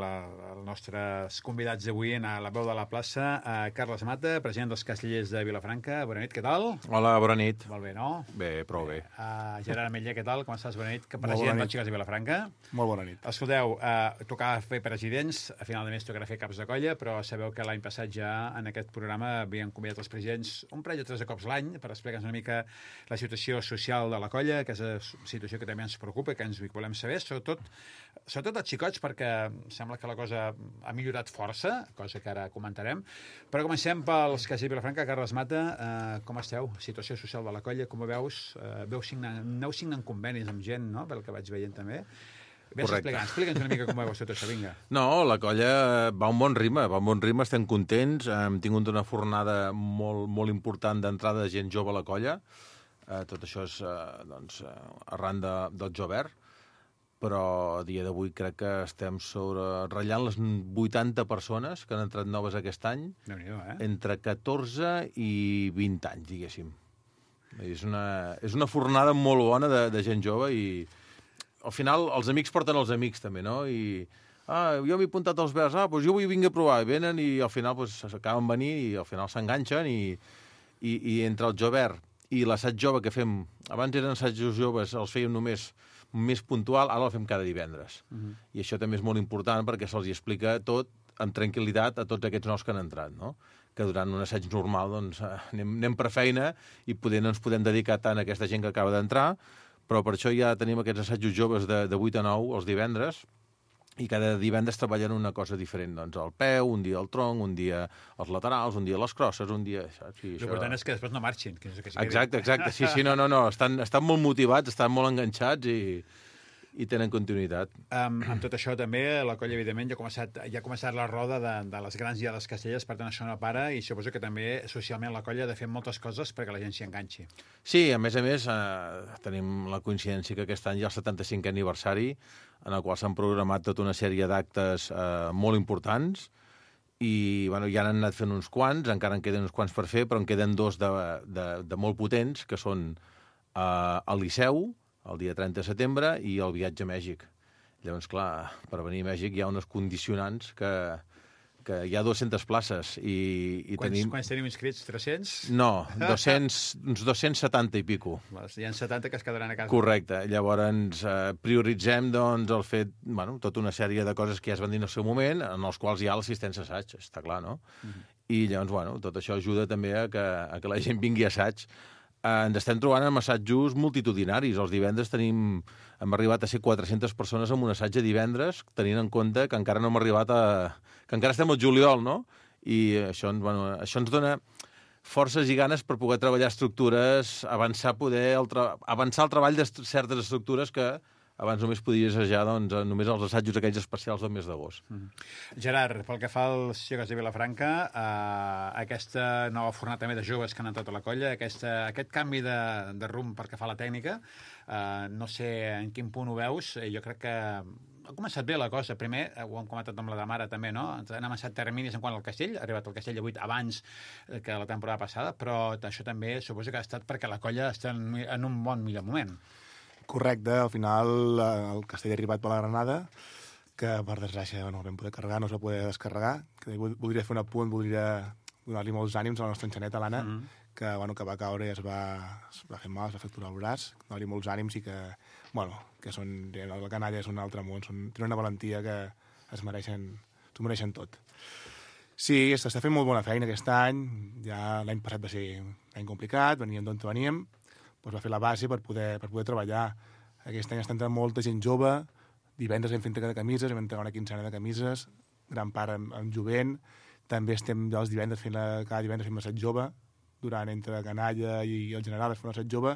els nostres convidats d'avui a la veu de la plaça. Uh, Carles Mata, president dels Castellers de Vilafranca. Bona nit, què tal? Hola, bona nit. Molt bé, no? Bé, prou bé. Uh, Gerard Ametller, què tal? Com estàs? Bona nit. Que president dels Xiques de Vilafranca. Molt bona nit. Escolteu, uh, tocava fer presidents, a final de mes tocarà fer caps de colla, però sabeu que l'any passat ja en aquest programa havien convidat els presidents un parell o tres de cops l'any per explicar-nos una mica la situació social de la colla, que és una situació que també ens preocupa, que ens volem saber, sobretot sobretot els xicots, perquè sembla que la cosa ha millorat força, cosa que ara comentarem. Però comencem pels Castellers de Vilafranca. Carles Mata, eh, com esteu? Situació social de la colla, com ho veus? Eh, veu signar, aneu signant convenis amb gent, no?, pel que vaig veient també. Vés explicant, explica'ns una mica com ho veus tot això, vinga. No, la colla va a un bon ritme, va a un bon ritme, estem contents, hem tingut una fornada molt, molt important d'entrada de gent jove a la colla, eh, tot això és eh, doncs, arran de, del Jovert, però a dia d'avui crec que estem sobre ratllant les vuitanta persones que han entrat noves aquest any, eh? entre catorze i vint anys, diguéssim. És una, és una fornada molt bona de, de gent jove i al final els amics porten els amics també, no? I ah, jo m'he apuntat als verds, ah, doncs jo vull vinc a provar, i venen i al final doncs, s'acaben venir i al final s'enganxen i, i, i entre el Jovert i l'assaig jove que fem, abans eren assajos joves, els fèiem només més puntual, ara el fem cada divendres. Uh-huh. I això també és molt important perquè se'ls explica tot amb tranquil·litat a tots aquests nous que han entrat, no? Que durant un assaig normal doncs, anem, anem per feina i poder no ens podem dedicar tant a aquesta gent que acaba d'entrar, però per això ja tenim aquests assajos joves de, de vuit a nou els divendres i cada divendres treballen una cosa diferent, doncs el peu, un dia el tronc, un dia els laterals, un dia les crosses, un dia... Saps? I L'important això... és que després no marxin. Que és que sí exacte, exacte, sí, sí, no, no, no, estan, estan molt motivats, estan molt enganxats i, i tenen continuïtat. Um, amb tot això també, la colla, evidentment, ja ha començat, ja ha començat la roda de, de les grans i de les castelles, per tant això no para, i suposo que també socialment la colla ha de fer moltes coses perquè la gent s'hi enganxi. Sí, a més a més, eh, tenim la coincidència que aquest any hi ha el setanta-cinquè aniversari, en el qual s'han programat tota una sèrie d'actes eh, molt importants i bueno, ja n'han anat fent uns quants, encara en queden uns quants per fer, però en queden dos de, de, de molt potents, que són eh, el Liceu, el dia trenta de setembre, i el viatge a Mèxic. Llavors, clar, per venir a Mèxic hi ha unes condicionants que, que hi ha dues-centes places. I, i quants, tenim... quants tenim inscrits? tres-cents? No, dos-cents, uns dos-cents setanta i pico. Hi ha setanta que es quedaran a casa. Correcte. Llavors eh, prioritzem doncs, el fet, bueno, tota una sèrie de coses que ja es van dir en el seu moment, en els quals hi ha l'assistència a assaig, està clar, no? Uh-huh. I llavors, bueno, tot això ajuda també a que, a que la gent vingui a assaig. Eh, ens estem trobant amb assajos multitudinaris. Els divendres tenim, hem arribat a ser quatre-centes persones en un assaig de divendres, tenint en compte que encara no hem arribat a... que encara estem al juliol, no? I això, bueno, això ens dona forces i ganes per poder treballar estructures, avançar poder el tra... avançar el treball de certes estructures que abans només podies assajar doncs, només els assajos aquells especials del mes d'agost. Mm. Gerard, pel que fa als Xiques de Vilafranca, eh, aquesta nova fornada també de joves que han entrat a la colla, aquesta, aquest canvi de, de rumb pel que fa a la tècnica, eh, no sé en quin punt ho veus, jo crec que ha començat bé la cosa. Primer, ho hem comentat amb la Damara també, no? Han avançat terminis en quant al Castell, ha arribat al Castell de vuit abans que la temporada passada, però això també suposo que ha estat perquè la colla està en, en un bon millor moment. Correcte, al final el Castell ha arribat per la Granada, que per desgràcia no vam poder carregar, no es va poder descarregar, que voldria fer un apunt, voldria donar-li molts ànims a la nostra enxaneta, l'Anna, mm -hmm. que, bueno, que va caure i es va, es va fer mal, es va fracturar el braç, donar-li molts ànims i que, bueno, que són, la canalla és un altre món, són, tenen una valentia que es mereixen, s'ho mereixen tot. Sí, s'està fent molt bona feina aquest any, ja l'any passat va ser un any complicat, veníem d'on veníem, doncs va fer la base per poder, per poder treballar. Aquest any està entrant molta gent jove, divendres vam fer entrega de camises, vam entregar una quinzena de camises, gran part amb, amb jovent. També estem ja els divendres fent la, cada divendres fem l'assaig jove, durant entre Canalla i el General es fa un assaig jove,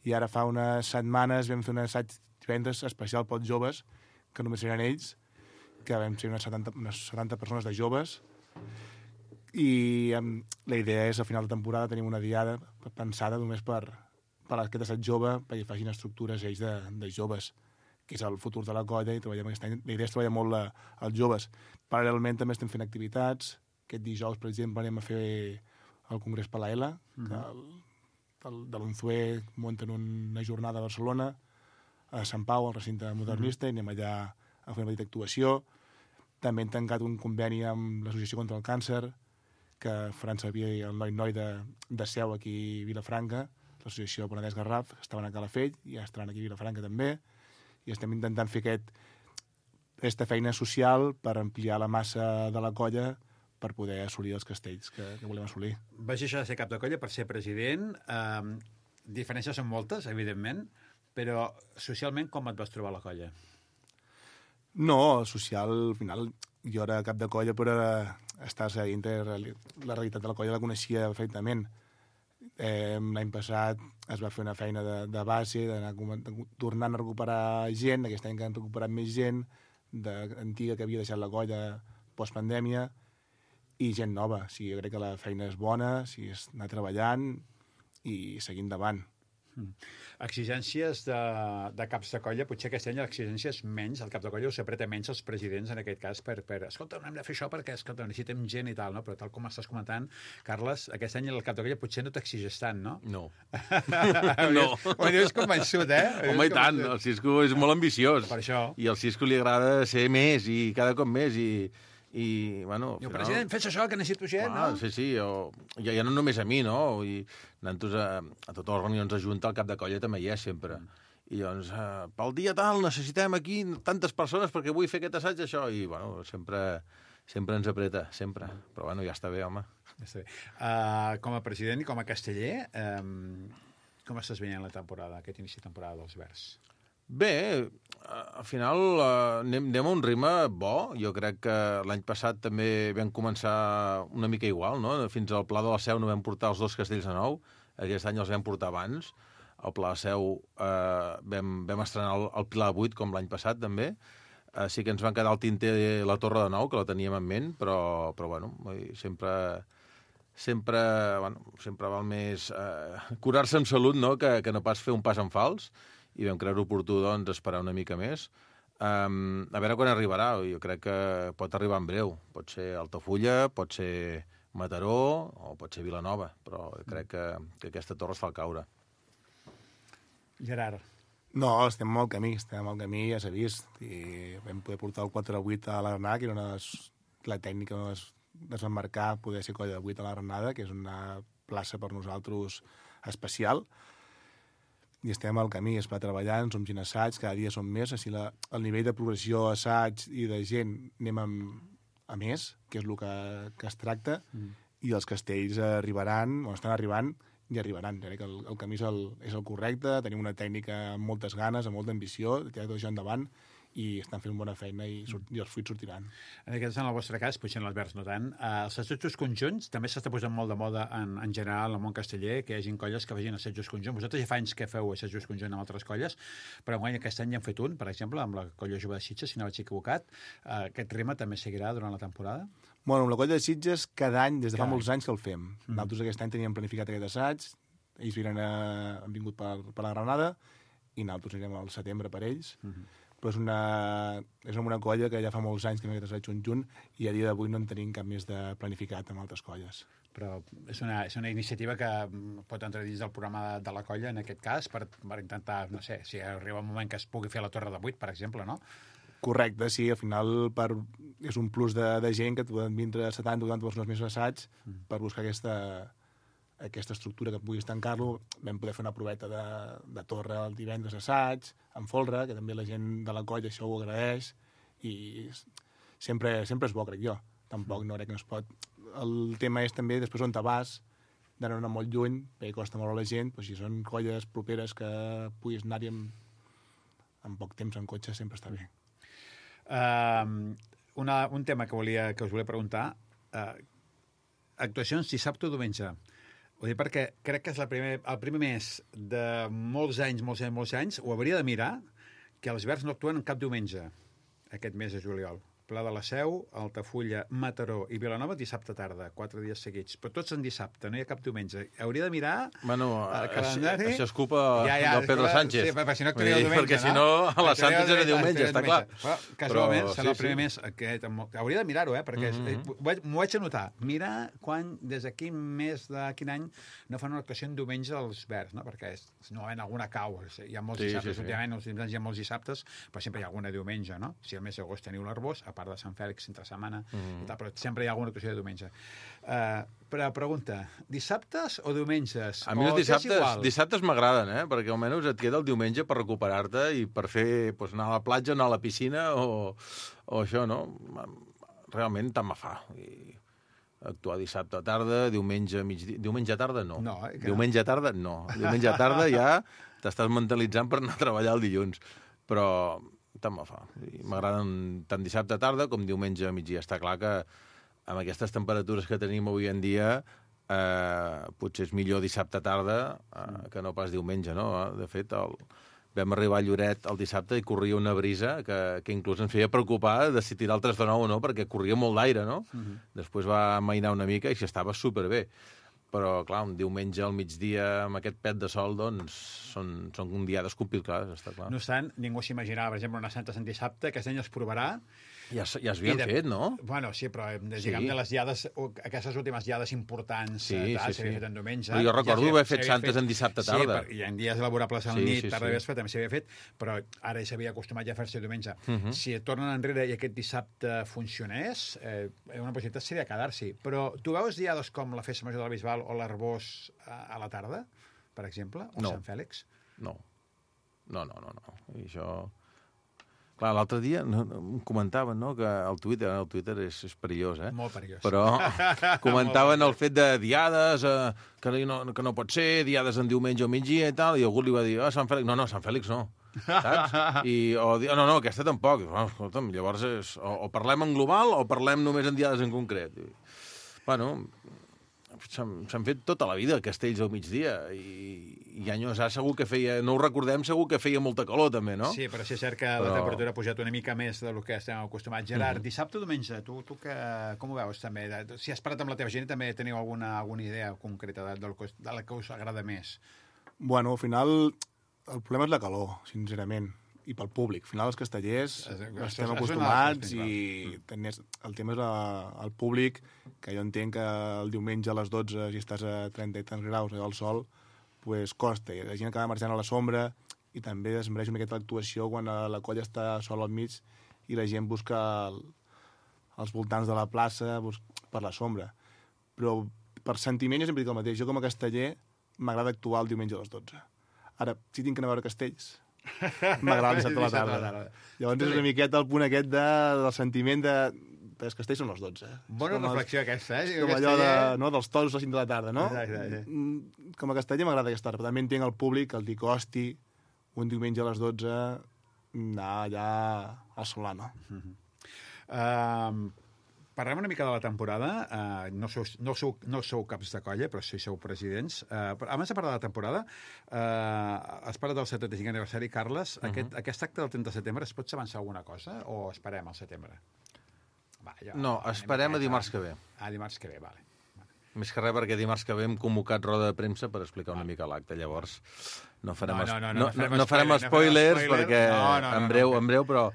i ara fa unes setmanes vam fer un assaig divendres especial pels joves, que només eren ells, que vam ser unes setanta, unes setanta persones de joves, i um, la idea és, al final de temporada, tenim una diada pensada només per, per aquest assaig jove, perquè facin estructures ells de, de joves, que és el futur de la colla, i treballem aquest any. La idea és treballar molt la, els joves. Paral·lelment també estem fent activitats. Aquest dijous, per exemple, anem a fer el Congrés Palaela, mm-hmm. que el, el, de l'Unzué munten una jornada a Barcelona, a Sant Pau, al recinte modernista, mm-hmm. i anem allà a fer una petita actuació. També hem tancat un conveni amb l'Associació contra el Càncer, que faran servir el noi-noi de, de Seu aquí a Vilafranca, l'associació Penedès Garraf, que estaven a Calafell, i ja estaran aquí a Vilafranca també, i estem intentant fer aquest, aquesta feina social per ampliar la massa de la colla per poder assolir els castells que, que volem assolir. Vas deixar de ser cap de colla per ser president. Um, diferències són moltes, evidentment, però socialment com et vas trobar a la colla? No, social, al final, jo era cap de colla, però estar seguint la realitat de la colla la coneixia perfectament. Eh, L'any passat es va fer una feina de, de base, d'anar tornant a recuperar gent, aquest any que han recuperat més gent, de, antiga que havia deixat la colla postpandèmia, i gent nova. O sigui, jo crec que la feina és bona, o sigui, és anar treballant i seguir endavant. Mm. Exigències de, de caps de colla, potser aquest any l'exigència és menys, el cap de colla us apreta menys els presidents en aquest cas per, per escolta, no hem de fer això perquè escolta, necessitem gent i tal, no? Però tal com estàs comentant, Carles, aquest any el cap de colla potser no t'exigeix tant, no? No. no. Ho dius convençut, eh? Home, i tant, el Cisco és molt ambiciós. Per això. I al Cisco li agrada ser més i cada cop més i... I, bueno, I el president, fes això, que necessito gent, ah, no? Sí, sí, o, ja, ja no només a mi, no? I anant-nos a, a totes les reunions de Junta, el cap de colla també hi és sempre. Mm. I doncs, uh, pel dia tal, necessitem aquí tantes persones perquè vull fer aquest assaig, això. I, bueno, sempre, sempre ens apreta, sempre. Però, bueno, ja està bé, home. Ja està bé. Uh, com a president i com a casteller, um, com estàs veient la temporada, aquest inici de temporada dels Verds? Bé, al final eh, anem, anem a un ritme bo. Jo crec que l'any passat també vam començar una mica igual, no? Fins al Pla de la Seu no vam portar els dos castells de nou. Aquest any els vam portar abans. Al Pla de Seu eh, vam, vam estrenar el, el Pilar de Vuit, com l'any passat, també. Eh, sí que ens van quedar al tinter la Torre de Nou, que la teníem en ment, però, però bueno, sempre... sempre, bueno, sempre val més eh, curar-se amb salut, no?, que, que no pas fer un pas en fals. I vam creure oportú, doncs, esperar una mica més. Um, a veure quan arribarà. Jo crec que pot arribar en breu. Pot ser Altafulla, pot ser Mataró o pot ser Vilanova, però crec que, que aquesta torre es fa caure. Gerard. No, estem al camí, estem al camí, ja s'ha vist. I vam poder portar el quatre a vuit a la Granada, que era una de les, la tècnica de desembarcar, poder ser colla de vuit a la Granada, que és una plaça per nosaltres especial. I estem al camí, es va treballant, som gent assaig, cada dia som més, així la, el nivell de progressió assaig i de gent anem amb, a més, que és el que, que es tracta, mm. i els castells arribaran, o estan arribant, i arribaran. Crec que el, el camí és el, és el correcte, tenim una tècnica amb moltes ganes, amb molta ambició, tirar tot això endavant, i estan fent bona feina i, sort, i els fruits sortiran. En aquest, en el vostre cas, potser en els Verds no tant, eh, els assajos conjunts també s'està posant molt de moda en, en general en el món casteller, que hi hagi colles que facin assajos conjunts. Vosaltres ja fa anys que feu assajos conjunts amb altres colles, però en aquest any ja han fet un, per exemple, amb la colla jove de Sitges, si no vaig equivocat. Eh, aquest ritme també seguirà durant la temporada? Bueno, amb la colla de Sitges, cada any, des de cada fa molts anys que el fem. Mm. Nosaltres aquest any teníem planificat aquest assaig, ells viren a, han vingut per, per la Granada, i nosaltres anirem al setembre per ells. Mm-hmm. Però és una, és una colla que ja fa molts anys que no hi ha assaig conjunt i a dia d'avui no en tenim cap més de planificat amb altres colles. Però és una, és una iniciativa que pot entrar dins del programa de, de la colla, en aquest cas, per, per intentar, no sé, si arriba un moment que es pugui fer la Torre de Vuit, per exemple, no? Correcte, sí, al final per, és un plus de, de gent que poden vindre setanta o vuitanta persones més assaig mm. per buscar aquesta... aquesta estructura que puguis tancar-lo. Vam poder fer una proveta de, de torre el divendres assaig, amb folre, que també la gent de la colla això ho agraeix, i sempre, sempre és bo, crec jo. Tampoc no crec que no es pot... El tema és també després on te vas, d'anar molt lluny, perquè costa molt a la gent, però si són colles properes que puguis anar-hi amb, amb poc temps en cotxe, sempre està bé. Uh, una, un tema que, volia, que us volia preguntar. Uh, actuacions dissabte o diumenge. Ho dic perquè crec que és la primer, el primer mes de molts anys, molts anys, molts anys, ho hauria de mirar, que els Verds no actuen cap diumenge, aquest mes de juliol. Pla de la Seu, Altafulla, Mataró i Vilanova dissabte tarda, quatre dies seguits. Però tots en dissabte, no hi ha cap diumenge. Hauria de mirar bueno, el calendari. Això és culpa ja, ja, del Pedro Sánchez. Sí, perquè si no actuaria el diumenge, perquè si no, a les Santes era diumenge, està clar. Però, casualment, Però, serà sí, el primer sí. mes. Aquest, hauria de mirar-ho, eh? Perquè mm -hmm. m'ho vaig anotar. Mirar quan, des de quin mes de quin any no fan una actuació en diumenge als Verds, no? Perquè és, normalment alguna cau. Hi ha molts sí, dissabtes, sí, sí. últimament, els últims anys hi ha molts dissabtes, però sempre hi ha alguna diumenge, no? Si al mes d'agost teniu l'Arbós, a part de Sant Fèlix, entre setmana, mm. i tal, però sempre hi ha alguna actuació de diumenge. Uh, però pregunta, dissabtes o diumenges? A mi o els dissabtes, dissabtes m'agraden, eh? Perquè almenys et queda el diumenge per recuperar-te i per fer, pues, anar a la platja, anar a la piscina o, o això, no? Realment tant me fa. I actuar dissabte a tarda, diumenge migdia... Diumenge a tarda, no. no eh, diumenge a tarda, no. Diumenge a tarda ja t'estàs mentalitzant per anar a treballar el dilluns. Però tant me fa. M'agraden tant dissabte a tarda com diumenge a migdia. Està clar que amb aquestes temperatures que tenim avui en dia eh, potser és millor dissabte a tarda eh, que no pas diumenge, no? De fet, el... vam arribar a Lloret el dissabte i corria una brisa que, que inclús ens feia preocupar de si tirar el tres de nou o no, perquè corria molt d'aire, no? Uh-huh. Després va amainar una mica i s'estava superbé. Però, clar, un diumenge al migdia amb aquest pet de sol, doncs, són, són diades complicades, està clar. No obstant, ningú s'imaginava, per exemple, una Santa Sant Dissabte, aquest any es provarà. Ja, ja es havien de... fet, no? Bueno, sí, però diguem sí. de les diades, aquestes últimes diades importants, sí, tal, sí, s'havia sí. fet en diumenge. Però jo recordo ja haver fet santes fet... en dissabte tarda. Sí, per, i en dies laborables al sí, nit, sí, tarda sí. vespre, també s'havia fet, però ara s'havia acostumat ja a fer-se diumenge. Uh Mhm. -huh. Si tornen enrere i aquest dissabte funcionés, eh, una possibilitat seria quedar-s'hi. Però tu veus diades com la Festa Major del Bisbal o l'Arbós a, a la tarda, per exemple, o no. Sant Fèlix? No. No, no, no, no. I això... Clar, l'altre dia no, no, em comentaven, no?, que el Twitter, el Twitter és, és perillós, eh? Molt perillós. Però comentaven el fet de diades, eh, que, no, que no pot ser, diades en diumenge o migdia i tal, i algú li va dir, ah, Sant Fèlix... No, no, Sant Fèlix no, saps? I, o, no, no, aquesta tampoc. Oh, escolta'm, llavors és, o, o parlem en global o parlem només en diades en concret. I, bueno, s'han fet tota la vida castells al migdia i, i anys ha segur que feia, no ho recordem, segur que feia molta calor també, no? Sí, però sí és cert que però... la temperatura ha pujat una mica més del que estem acostumats. Gerard, mm -hmm. dissabte o diumenge, tu, tu que, com ho veus també? Si has parlat amb la teva gent també teniu alguna, alguna idea concreta de, de, de la que us agrada més? Bueno, al final el problema és la calor, sincerament, i pel públic. Al final els castellers es, estem es, acostumats i tenies, el tema és la, el públic, que jo entenc que el diumenge a les dotze, si estàs a trenta i tants graus al sol, pues costa. I la gent acaba marxant a la sombra i també es mereix una miqueta l'actuació quan la colla està sola al mig i la gent busca el, els voltants de la plaça per la sombra. Però per sentiment jo sempre dic el mateix. Jo com a casteller m'agrada actuar el diumenge a les dotze. Ara, si tinc que anar a veure castells, m'agrada el dissabte a la tarda. Llavors és una miqueta el punt aquest de, del sentiment de... Els castells són les dotze. Bona reflexió els, aquesta, eh? Com allò de, no, dels toros a les cinc de la tarda, no? Exacte, sí. Com a casteller m'agrada aquesta hora, però també entenc el públic, el dir costi, un diumenge a les dotze, anar allà al Solano. Uh -huh. um, parlem una mica de la temporada. Uh, no, sou, no, sou, no sou caps de colla, però sí sou presidents. Uh, abans de parlar de la temporada, uh, has parlat del setanta-cinquè aniversari, Carles. Uh -huh. aquest, aquest acte del trenta de setembre, es pot avançar alguna cosa o esperem al setembre? Va, jo, no, esperem a dimarts que ve. A dimarts que ve, vale. vale. Més que res perquè dimarts que ve hem convocat roda de premsa per explicar una mica l'acte, llavors no farem, no, no, no, no, no, no, no, no farem spoilers no farem perquè no, no, no, en breu, no, en breu, però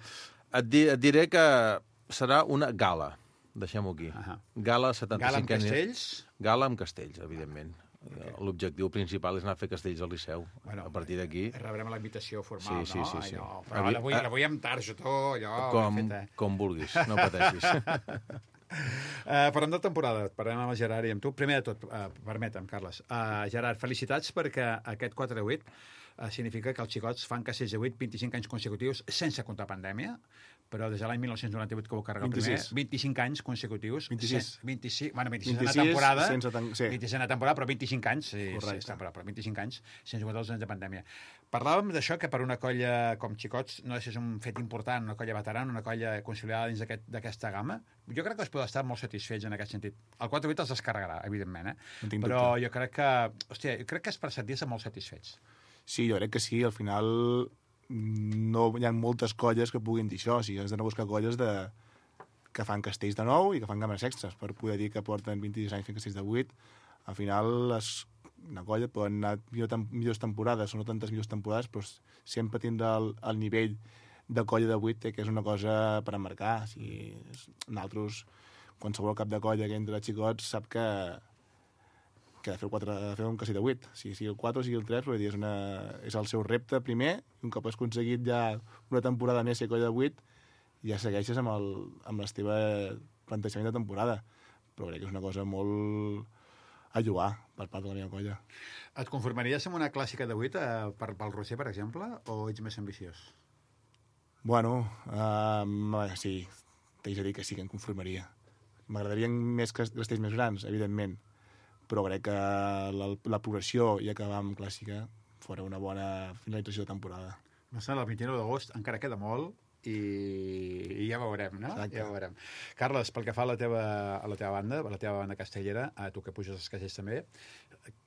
et, di, et diré que serà una gala, deixem-ho aquí. Uh -huh. Gala setanta-cinquè... Gala amb castells? Gala amb castells, evidentment. Okay. L'objectiu principal és anar a fer castells al Liceu. Bueno, a partir d'aquí... Rebrem la invitació formal, sí, sí, sí, sí. no? Però Avui, la vull, la vull amb targeta, allò... Com, fet, eh? com vulguis, no pateixis. Uh, parlem de temporada, parlem amb el Gerard i amb tu. Primer de tot, uh, permetem, Carles. Uh, Gerard, felicitats perquè aquest quatre de vuit uh, significa que els xicots fan castells de vuit, vint-i-cinc anys consecutius sense comptar pandèmia. però des de l'any mil nou-cents noranta-vuit que ho carrega el vint-i-sis. primer, vint-i-cinc anys consecutius. vint-i-sis. vint-i-sis, bueno, vint-i-sis vint-i-sis temporada. sense tan- sí. vint-i-sis temporada, però vint-i-cinc anys. Sí, Correcte. sí, temporada, però vint-i-cinc anys sense comptar els anys de pandèmia. Parlàvem d'això, que per una colla com Xicots no és un fet important, una colla veterana, una colla consolidada dins d'aquest- d'aquesta gamma. Jo crec que es pot estar molt satisfets en aquest sentit. El quatre vuit els descarregarà, evidentment, eh? No tinc però dubte. jo crec que, hòstia, jo crec que és per sentir-se molt satisfets. Sí, jo crec que sí. Al final no hi ha moltes colles que puguin dir això. O sigui, has d'anar a buscar colles de... que fan castells de nou i que fan games extras per poder dir que porten vint-i-sis anys fent castells de vuit. Al final, les... una colla poden anar millor tem... millors temporades, o no tantes millors temporades, però sempre tindrà el, el nivell de colla de vuit, que és una cosa per emmarcar. O sigui, nosaltres, qualsevol cap de colla que entra a Xicots sap que que ha de fer, el quatre, ha de fer un castell de vuit. O sigui, sigui el quatre o sigui el tres, però dir, és, una, és el seu repte primer, i un cop has aconseguit ja una temporada més ser colla de vuit, ja segueixes amb, el, amb el teu plantejament de temporada. Però crec que és una cosa molt a jugar per part de la meva colla. Et conformaries amb una clàssica de vuit eh, per, pel Roser, per exemple, o ets més ambiciós? Bueno, um, sí, t'haig de dir que sí que em conformaria. M'agradarien més castells més grans, evidentment, però crec que la, la progressió i acabar amb clàssica fora una bona finalització de temporada. No sé, el vint-i-nou d'agost encara queda molt i, i ja veurem, no? Exacte. Ja veurem. Carles, pel que fa a la teva, a la teva banda, a la teva banda castellera, a tu que puges els castells també,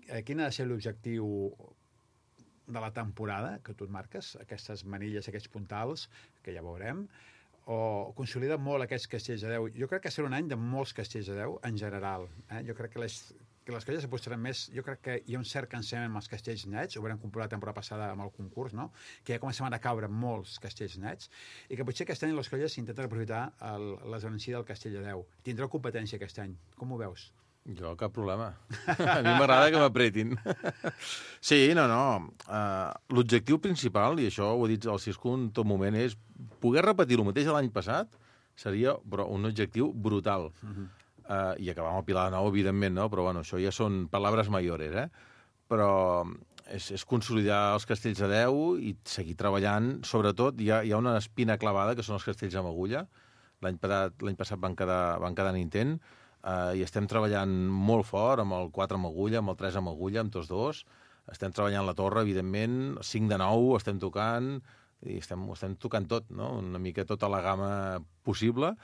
eh, quin ha de ser l'objectiu de la temporada que tu et marques, aquestes manilles, aquests puntals, que ja veurem, o consolida molt aquests castells de deu? Jo crec que serà un any de molts castells de deu en general. Eh? Jo crec que les, que les colles s'apostaran més... Jo crec que hi ha un cert cansament amb els castells nets, ho vam comprovar la temporada passada amb el concurs, no? Que ja començaven a caure molts castells nets, i que potser aquest any les colles intenten aprofitar el, l'esdevenció del castell de deu. Tindreu competència aquest any. Com ho veus? Jo, cap problema. A mi m'agrada que m'apretin. Sí, no, no. Uh, l'objectiu principal, i això ho he dit al Cisco en tot moment, és poder repetir el mateix de l'any passat seria però, un objectiu brutal. Uh-huh. Uh, I acabar amb el Pilar de Nou, evidentment, no? Però bueno, això ja són paraules mayores, eh? Però és, és consolidar els castells de deu i seguir treballant. Sobretot, hi ha, hi ha una espina clavada, que són els castells amb agulla. L'any passat, l'any passat van quedar, van quedar en intent. Uh, i estem treballant molt fort amb el quatre amb agulla, amb el tres amb agulla, amb tots dos. Estem treballant la torre, evidentment, cinc de nou estem tocant, i estem, estem tocant tot, no? Una mica tota la gamma possible.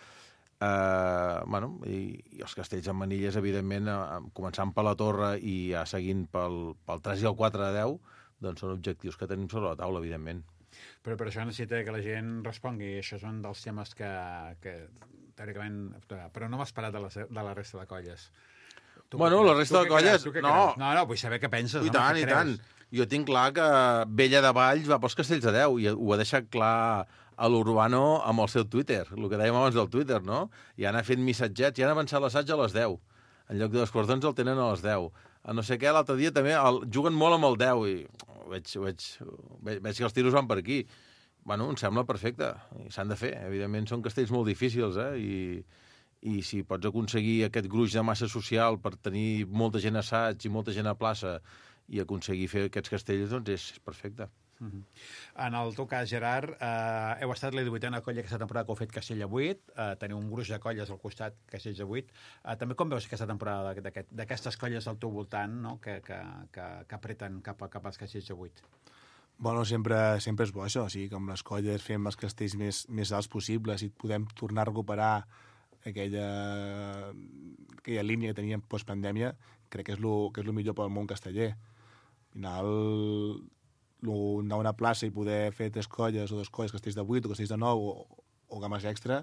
Uh, bueno, i, i els castells amb manilles, evidentment, uh, començant per la torre i ja seguint pel, pel tres i el quatre de deu, doncs són objectius que tenim sobre la taula, evidentment. Però per això necessita que la gent respongui. Això és un dels temes que, que teòricament... Però no m'has parat de la, de la resta de colles. Tu bueno, la resta de colles... No. no, no, vull saber què penses. I no, tant, i tant. Jo tinc clar que Bella de Valls va pels castells de deu i ho ha deixat clar a l'Urbano amb el seu Twitter, el que dèiem abans del Twitter, no? I han fet missatgets, i han avançat l'assaig a les deu. En lloc de les quarts d'onze el tenen a les deu. A no sé què, l'altre dia també el, juguen molt amb el deu i veig, veig, veig, veig que els tiros van per aquí. Bueno, em sembla perfecte. S'han de fer. Evidentment són castells molt difícils, eh? I, i si pots aconseguir aquest gruix de massa social per tenir molta gent a assaig i molta gent a plaça i aconseguir fer aquests castells, doncs és perfecte. Uh-huh. En el teu cas, Gerard, eh, heu estat la divuitena colla aquesta temporada que heu fet castell de vuit, eh, teniu un gruix de colles al costat, castells de vuit. Eh, també com veus aquesta temporada d'aquestes colles al teu voltant, no? que, que, que, que apreten cap, a, cap als castells de vuit? Bueno, sempre, sempre és bo això, o sigui, que amb les colles fem els castells més, més alts possibles i podem tornar a recuperar aquella, aquella línia que teníem postpandèmia, crec que és lo, que és lo millor pel món casteller. Al final, lo, anar a una plaça i poder fer tres colles o dos colles, castells de vuit o castells de nou o, o games extra,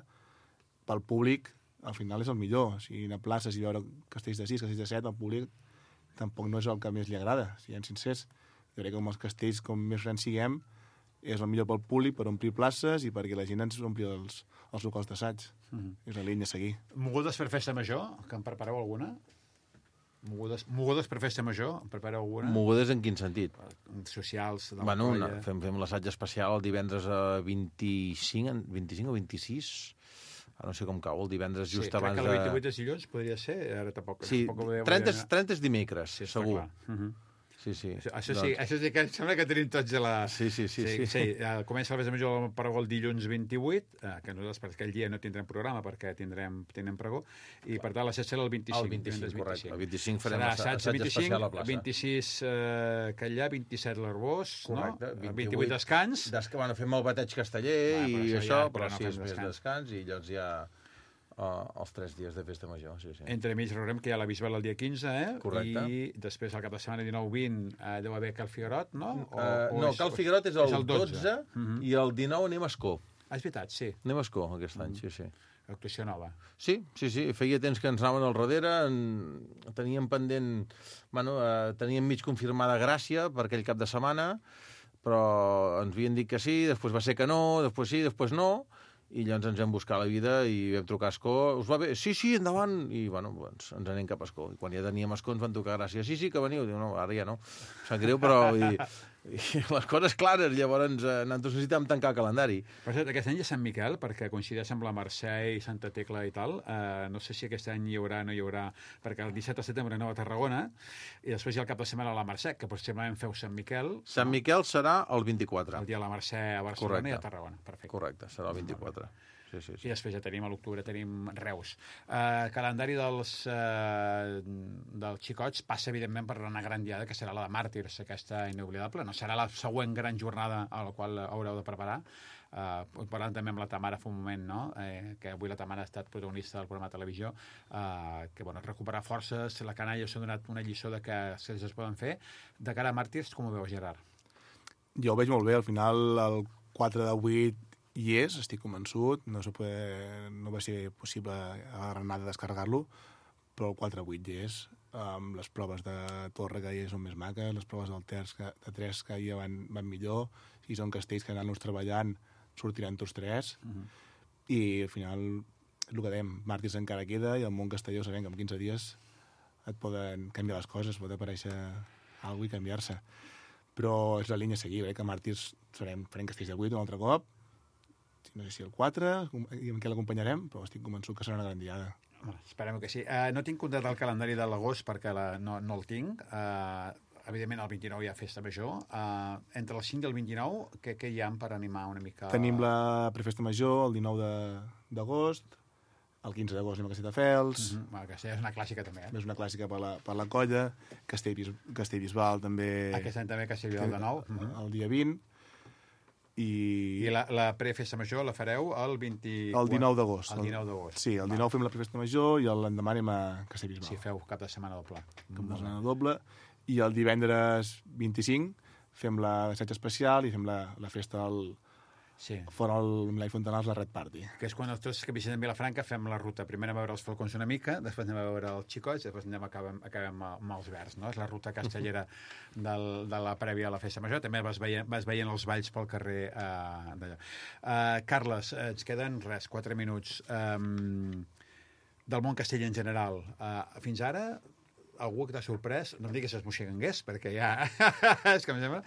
pel públic, al final és el millor. O sigui, anar a places i veure castells de sis, castells de set, al públic tampoc no és el que més li agrada, siguem sincers. Jo crec que amb els castells, com més grans siguem, és el millor pel públic, per omplir places i perquè la gent ens ompli els, els locals d'assaig. Uh-huh. És la línia a seguir. Mogudes per festa major, que en prepareu alguna? Mogudes, mogudes per festa major, en prepareu alguna? Mogudes en quin sentit? Socials de la bueno, colla. No, fem, fem l'assaig especial el divendres a vint-i-cinc, vint-i-cinc o vint-i-sis, no sé com cau, el divendres just sí, abans de... Sí, crec que el vint-i-vuit és dilluns, podria ser, ara tampoc... Sí, tampoc trenta, trenta és dimecres, sí, segur. Uh -huh. Sí, sí. Això, això, sí, doncs... això sí que em sembla que tenim tots a la... Sí, sí, sí. Sí, sí. sí. Uh, comença la festa major del pregó el dilluns vint-i-vuit, uh, que nosaltres per aquell dia no tindrem programa perquè tindrem, tindrem pregó, i per tant la festa serà el vint-i-cinc. El vint-i-cinc, correcte. El vint-i-cinc farem serà assaig, assaig especial a la plaça. vint-i-sis uh, Catllà, vint-i-set l'Arbós, no? Correcte. vint-i-vuit descans. Des... Bueno, fem el bateig casteller Va, i això això, ja, però, però no sí, fem és més descans. descans i llavors ja uh, els tres dies de festa major, sí, sí. Entre mig veurem que hi ha la Bisbal el dia quinze, eh? Correcte. I després el cap de setmana dinou vint uh, deu haver Cal Figuerot, no? O, Uh, o no, és, Cal Figuerot és el, és el dotze, dotze uh -huh. i el dinou anem a Escó. Ah, és veritat, sí. Anem a Escó aquest any, sí, sí. Actuació nova. Sí, sí, sí, feia temps que ens anaven al darrere, en... teníem pendent, bueno, eh, teníem mig confirmada Gràcia per aquell cap de setmana, però ens havien dit que sí, després va ser que no, després sí, després no, i llavors ens vam buscar la vida i vam trucar a Escó. Us va bé? Sí, sí, endavant! I, bueno, doncs, ens anem cap a Escó. I quan ja teníem Escó ens van tocar Gràcia. Sí, sí, que veniu. Diu, no, ara ja no. Sap greu, però... I, i les coses clares, llavors eh, nosaltres necessitàvem tancar el calendari. Per cert, aquest any és Sant Miquel, perquè coincideix amb la Mercè i Santa Tecla i tal. Uh, no sé si aquest any hi haurà o no hi haurà, perquè el disset de setembre aneu a Tarragona, i després hi ha el cap de setmana a la Mercè, que possiblement feu Sant Miquel. Sant Miquel serà el vint-i-quatre. El dia de la Mercè a Barcelona. Correcte. I a Tarragona. Perfecte. Correcte, serà el vint-i-quatre. Sí, sí, sí. I després ja tenim a l'octubre, tenim Reus. Uh, calendari dels, uh, dels xicots passa, evidentment, per una gran diada, que serà la de Màrtirs, aquesta inoblidable. No serà la següent gran jornada a la qual haureu de preparar. Uh, parlant també amb la Tamara fa un moment, no? Eh, que avui la Tamara ha estat protagonista del programa de televisió, uh, que, bueno, recuperar forces, la canalla s'ha donat una lliçó de que se les poden fer. De cara a Màrtirs, com ho veus, Gerard? Jo ho veig molt bé. Al final, el quatre de vuit hi és, estic convençut, no, se puede, no va ser possible a la Granada descarregar-lo, però el quatre vuit hi és, amb les proves de torre que hi és són més maques, les proves del terç que, de tres que hi van, van millor, si són castells que anant-nos treballant sortiran tots tres, uh -huh. i al final, el que dèiem, Màrtirs encara queda, i el món castelló sabem que en quinze dies et poden canviar les coses, pot aparèixer alguna cosa i canviar-se. Però és la línia a seguir, eh? Que Màrtirs farem, farem castells de vuit un altre cop, no sé si el quatre, i amb què l'acompanyarem, però estic convençut que serà una gran diada. Bueno, esperem que sí. Uh, no tinc comptat el calendari de l'agost perquè la, no, no el tinc. Uh, evidentment, el vint-i-nou hi ha festa major. Uh, entre el cinc i el vint-i-nou, què, què hi ha per animar una mica? Tenim la prefesta major el dinou d'agost, el quinze d'agost anem a Castelldefels. Uh -huh. Bueno, Castell és una clàssica també, eh? És una clàssica per la, per la colla. Castellbis, Castellbisbal també... Aquest any també Castellbisbal de nou. Uh -huh. El dia vint. I, I la, la prefesta major la fareu el vint... El dinou d'agost. El dinou d'agost. Sí, el dinou fem la prefesta major i l'endemà anem a Castellbisbal. Sí, feu cap de setmana doble. Cap de setmana doble. I el divendres vint-i-cinc fem l'assaig especial i fem la, la festa al... Sí. Fora el Milà i Fontanals, la Red Party. Que és quan tots que visitem Vilafranca fem la ruta. Primer anem a veure els falcons una mica, després anem a veure els xicots, després anem acabem, acabem amb els verds, no? És la ruta castellera del, de la prèvia a la festa major. També vas veient, vas veient els balls pel carrer uh, d'allò. Uh, Carles, uh, ens queden, res, quatre minuts. Um, del món castell en general. Uh, fins ara, algú que t'ha sorprès, no em diguis es moixegangués, perquè ja... és que em sembla...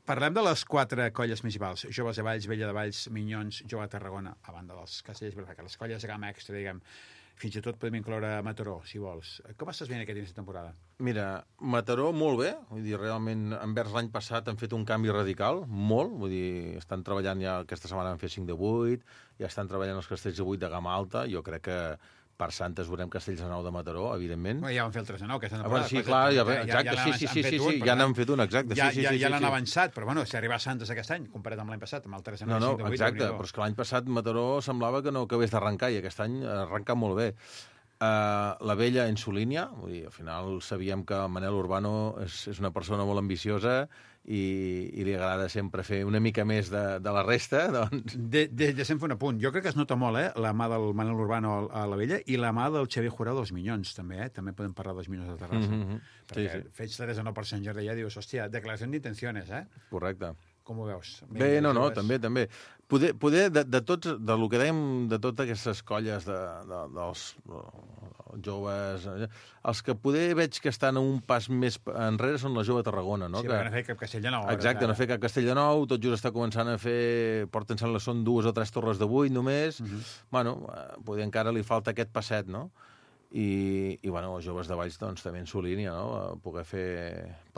Parlem de les quatre colles municipals. Joves de Valls, Vella de Valls, Minyons, Jove de Tarragona, a banda dels castells, les colles de gamma extra, diguem. Fins i tot podem incloure Mataró, si vols. Com estàs veient aquest inici de temporada? Mira, Mataró molt bé, vull dir, realment envers l'any passat han fet un canvi radical, molt, vull dir, estan treballant ja, aquesta setmana han fet cinc de vuit, ja estan treballant els castells de vuit de gamma alta, jo crec que per Santes veurem castells de nou de Mataró, evidentment. Bueno, ja van fer el tres de nou, aquesta temporada. Ah, bueno, sí, clar, ja, exacte, ja, sí, sí, sí, sí, sí, ja n'han fet un, exacte. Ja, sí, sí, ja, sí, ja l'han sí. avançat, però bueno, si arriba a Santes aquest any, comparat amb l'any passat, amb el tres de nou, no, no, cinc de vuit... exacte, però és que l'any passat Mataró semblava que no acabés d'arrencar, i aquest any ha arrencat molt bé. Uh, la vella en su línia, vull dir, al final sabíem que el Manel Urbano és, és una persona molt ambiciosa i, i li agrada sempre fer una mica més de, de la resta, doncs... De, de, de sempre un apunt. Jo crec que es nota molt, eh, la mà del Manel Urbano a la vella i la mà del Xavier Jurado dels Minyons, també, eh? També podem parlar dels Minyons de Terrassa. Mm -hmm. Perquè sí, sí. Fets tres de nou per Sant Jordi ja dius, hòstia, declaració d'intencions, eh? Correcte. Com ho veus? Bé, no, no, també, també. Poder, poder de, de tots, de lo que dèiem, de totes aquestes colles de, de, dels joves, els que poder veig que estan un pas més enrere són la Jove Tarragona, no? Sí, que perquè no fer cap castell de nou. Exacte, no fer cap castell de nou, tot just està començant a fer, porten, sembla, són dues o tres torres de vuit només, uh -huh. Bueno, poder encara li falta aquest passet, no? I, i bueno, els joves de Valls doncs, també en su línia, no? Poder fer...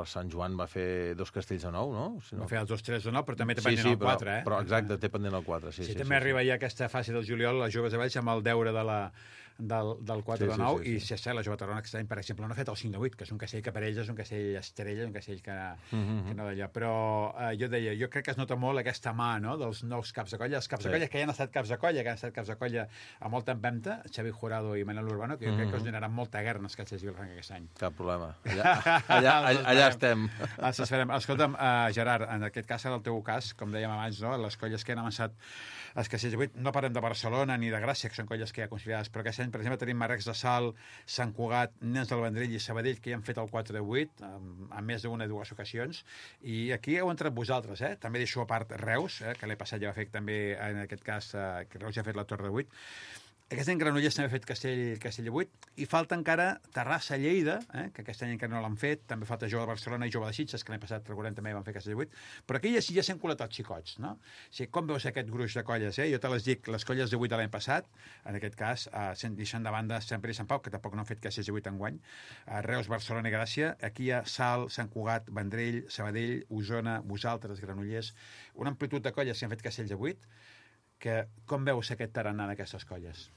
Per Sant Joan va fer dos castells de nou, no? Si no... Va fer els dos tres de nou, però també té sí, pendent sí, el quatre, eh? Però exacte, té pendent el quatre, sí. Sí, sí, també sí, arriba sí. ja aquesta fase del juliol, les joves de Valls, amb el deure de la, del, del quatre Sí, de sí, nou, sí, sí. i si és cert, la jove Tarrona, aquest any, per exemple, no ha fet el cinc de vuit, que és un castell que per ells és un castell estrella, un castell que, Mm-hmm. que no d'allò. Però eh, jo deia, jo crec que es nota molt aquesta mà, no?, dels nous caps de colla, els caps Sí. de colla que ja han estat caps de colla, que han estat caps de colla a molta empenta, Xavi Jurado i Manel Urbano, que jo crec que us donaran molta guerra als castells de Vilafranca aquest any. Cap problema. Allà, allà, allà, allà estem. Els esperem. Escolta'm, uh, Gerard, en aquest cas, en el teu cas, com dèiem abans, no? Les colles que han avançat els castells de vuit, no parlem de Barcelona ni de Gràcia, que són colles que ja considerades, però aquest any, per exemple, tenim Marrecs de Salt, Sant Cugat, Nens del Vendrell i Sabadell, que ja han fet el quatre de vuit, en més d'una o dues ocasions, i aquí heu entrat vosaltres, eh? També deixo a part Reus, eh? Que l'he passat ja va fer també, en aquest cas, eh, que Reus ja ha fet la Torre de vuit. Aquest any Granollers també ha fet Castell, Castell de vuit, i falta encara Terrassa, Lleida, eh, que aquest any encara no l'han fet, també falta Jove de Barcelona i Jove de Sitges, que l'any passat, recordem, també van fer Castell de vuit, però aquí ja, ja s'han colat els xicots, no? O sigui, com veus aquest gruix de colles, eh? Jo te les dic, les colles de vuit de l'any passat, en aquest cas, eh, deixant de banda Sant Pere i Sant Pau, que tampoc no han fet Castells de vuit enguany, eh, Reus, Barcelona i Gràcia, aquí hi ha Salt, Sant Cugat, Vendrell, Sabadell, Osona, vosaltres, Granollers, una amplitud de colles que han fet Castells de vuit, que com veus aquest tarannà d'aquestes colles?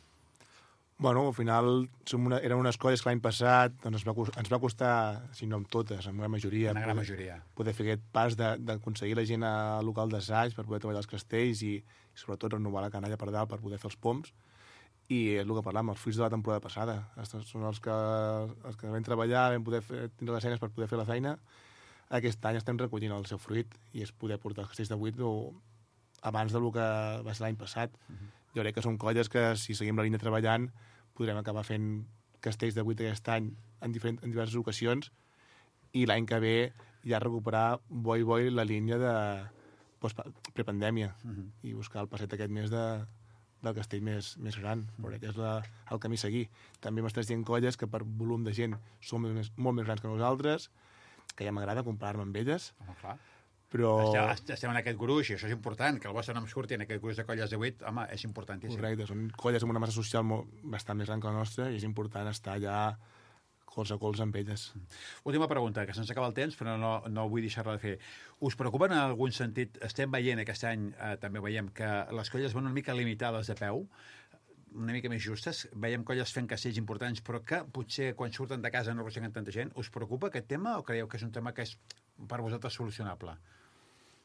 Bueno, al final som una, eren unes colles que l'any passat doncs ens, va, ens va costar, si no amb totes, amb la majoria, Una gran poder, majoria. poder fer aquest pas d'aconseguir la gent al local d'assaig per poder treballar els castells i, i sobretot renovar la canalla per dalt per poder fer els poms. I és el que parlàvem, els fruits de la temporada passada. Estos són els que, els que vam treballar, vam poder fer, tindre les eines per poder fer la feina. Aquest any estem recollint el seu fruit i és poder portar els castells de vuit o, abans del que va ser l'any passat. Uh-huh. Jo crec que són colles que, si seguim la línia treballant, podrem acabar fent castells de vuit aquest any en, diferent, en diverses ocasions i l'any que ve ja recuperar boi boi la línia de pues, prepandèmia uh-huh. i buscar el passet aquest més de, del castell més, més gran, uh-huh. perquè és la, el camí a seguir. També m'estàs dient colles que per volum de gent són més, molt més grans que nosaltres, que ja m'agrada comparar-me amb elles. Home, clar. Però... Estem, estem en aquest gruix, i això és important, que el vostre nom surti en aquest gruix de colles de vuit, home, és importantíssim. Correcte, són colles amb una massa social molt, bastant més gran que la nostra i és important estar allà colze a colze amb elles. Última pregunta, que se'ns acaba el temps, però no, no vull deixar-la de fer. Us preocupa en algun sentit, estem veient aquest any, eh, també veiem que les colles van una mica limitades de peu, una mica més justes, veiem colles fent castells importants, però que potser quan surten de casa no arrosseguen tanta gent. Us preocupa aquest tema o creieu que és un tema que és per vosaltres solucionable?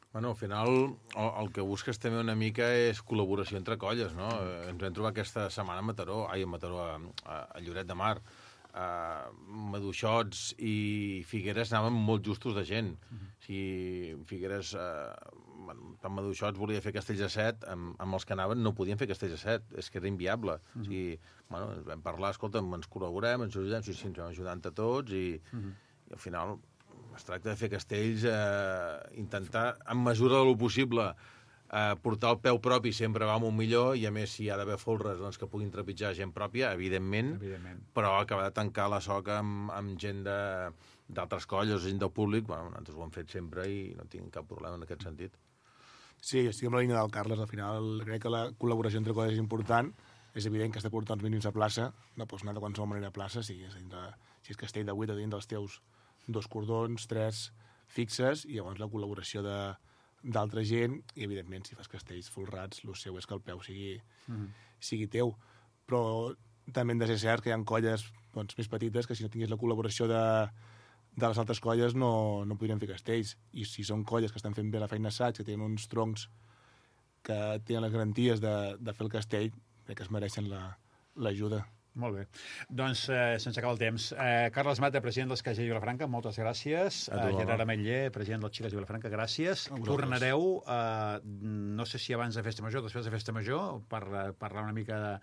Bueno, al final el, el que busques també una mica és col·laboració entre colles, no? Mm. Ens vam trobar aquesta setmana a Mataró, ai, a Mataró, a, a, a Lloret de Mar. Uh, Maduixots i Figueres anaven molt justos de gent. Mm. Si Figueres, uh, tant Maduixots volia fer castells a set, amb, amb els que anaven no podien fer castells a set, és que era inviable. Mm. O sigui, bueno, ens vam parlar, escolta'm, ens col·laborem, ens ajudem, sí, sí, ens vam ajudant a tots i, mm. i al final es tracta de fer castells, eh, intentar, en mesura del possible, eh, portar el peu propi sempre va molt millor, i a més, si hi ha d'haver folres doncs, que puguin trepitjar gent pròpia, evidentment, evidentment. Però acabar de tancar la soca amb, amb gent d'altres colles, gent del públic, bueno, nosaltres ho hem fet sempre i no tinc cap problema en aquest sentit. Sí, estic amb la línia del Carles, al final crec que la col·laboració entre colles és important, és evident que has de portar uns mínims a plaça, no pots anar de qualsevol manera a plaça, si és, dintre, si és castell de vuit o dins dels teus dos cordons, tres fixes, i llavors la col·laboració de d'altra gent, i evidentment si fas castells folrats, el seu és que el peu sigui, mm. sigui teu. Però també hem de ser certs que hi ha colles doncs, més petites que si no tingués la col·laboració de, de les altres colles no, no podrien fer castells. I si són colles que estan fent bé la feina assaig, que tenen uns troncs que tenen les garanties de, de fer el castell, crec que es mereixen l'ajuda. La, Molt bé. Doncs eh, se'ns acaba el temps. Eh, Carles Mata, president dels Castells de Vilafranca, moltes gràcies. Eh, Gerard Ametller, president dels Xiques de Vilafranca, gràcies. Tornareu, eh, no sé si abans de Festa Major, després de Festa Major, per eh, parlar una mica de,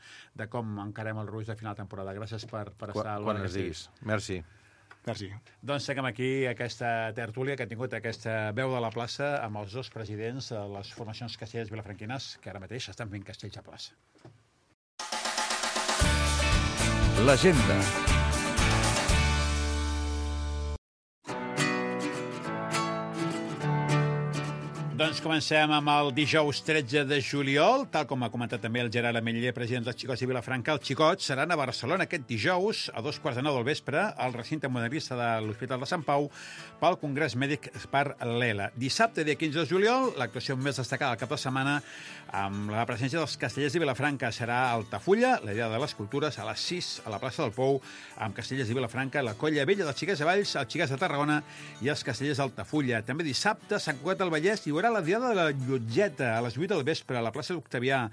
de com encarem el ruix de final de temporada. Gràcies per, per estar al Quan es diguis. Merci. Merci. Doncs seguim aquí aquesta tertúlia que ha tingut aquesta veu de la plaça amb els dos presidents de les formacions castellers vilafranquines que ara mateix estan fent castells a plaça. L'agenda. Doncs comencem amb el dijous tretze de juliol. Tal com ha comentat també el Gerard Ametller, president dels Xicots de Vilafranca, els Xicots seran a Barcelona aquest dijous a dos quarts de nou del vespre al recinte modernista de l'Hospital de Sant Pau pel Congrés Mèdic per l'E L A. Dissabte, dia quinze de juliol, l'actuació més destacada del cap de setmana amb la presència dels Castellers de Vilafranca serà a Altafulla, la idea de les cultures, a les sis a la plaça del Pou, amb Castellers de Vilafranca, la Colla Vella dels Xiquets de Valls, els Xiquets de Tarragona i els Castellers d'Altafulla. També dissabte, Sant Cugat del Vallès, hi haurà la diada de la Llotgeta a les vuit del vespre a la plaça d'Octavià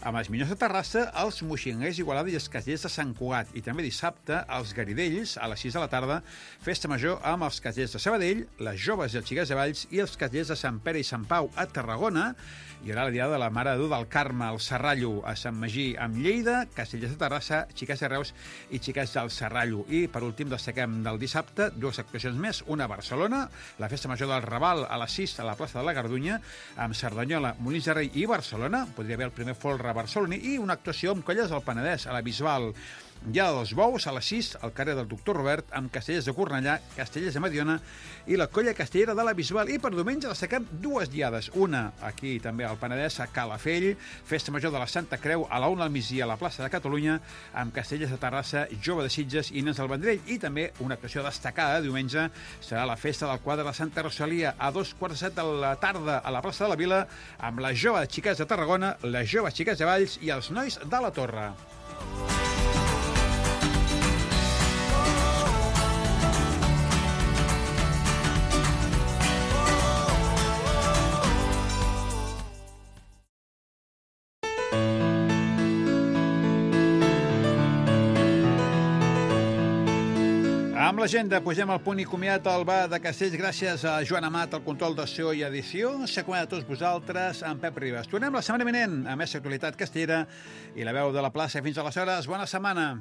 amb els Minyons de Terrassa, els Moixinguers d'Igualada i els Castellers de Sant Cugat. I també dissabte, als Garidells, a les sis de la tarda, festa major amb els Castellers de Sabadell, les Joves i els Xiquets de Valls i els Castellers de Sant Pere i Sant Pau a Tarragona. Hi haurà la diada de la Mare de Déu del Carme al Serrallo a Sant Magí amb Lleida, Castellers de Terrassa, Xiquets de Reus i Xiquets del Serrallo. I, per últim, destaquem del dissabte dues actuacions més, una a Barcelona, la festa major del Raval a les sis a la plaça de la Gardunya, amb Cerdanyola, Molins de Rei i Barcelona. Podria haver el primer folre barceloní i una actuació amb colles del Penedès, a la Bisbal. Dia dels Bous, a les sis, al carrer del Doctor Robert, amb Castellers de Cornellà, Castellers de Mediona i la colla castellera de la Bisbal. I per diumenge destaquem dues diades. Una, aquí també al Penedès, a Calafell, festa major de la Santa Creu, a la una al migdia a la plaça de Catalunya, amb Castellers de Terrassa, Jove de Sitges i Nens del Vendrell. I també una actuació destacada de diumenge serà la festa del quadre de Santa Rosalia, a dos quarts de set de la tarda a la plaça de la Vila, amb les Joves Xiquets de Tarragona, les Joves Xiquets de Valls i els Nois de la Torre. Amb l'agenda pugem al punt i comiat al bar de Castells gràcies a Joan Amat, el control de so i edició. S'acomiada a tots vosaltres, amb Pep Ribas. Tornem la setmana vinent amb més actualitat castellera i la veu de la plaça. Fins aleshores, bona setmana.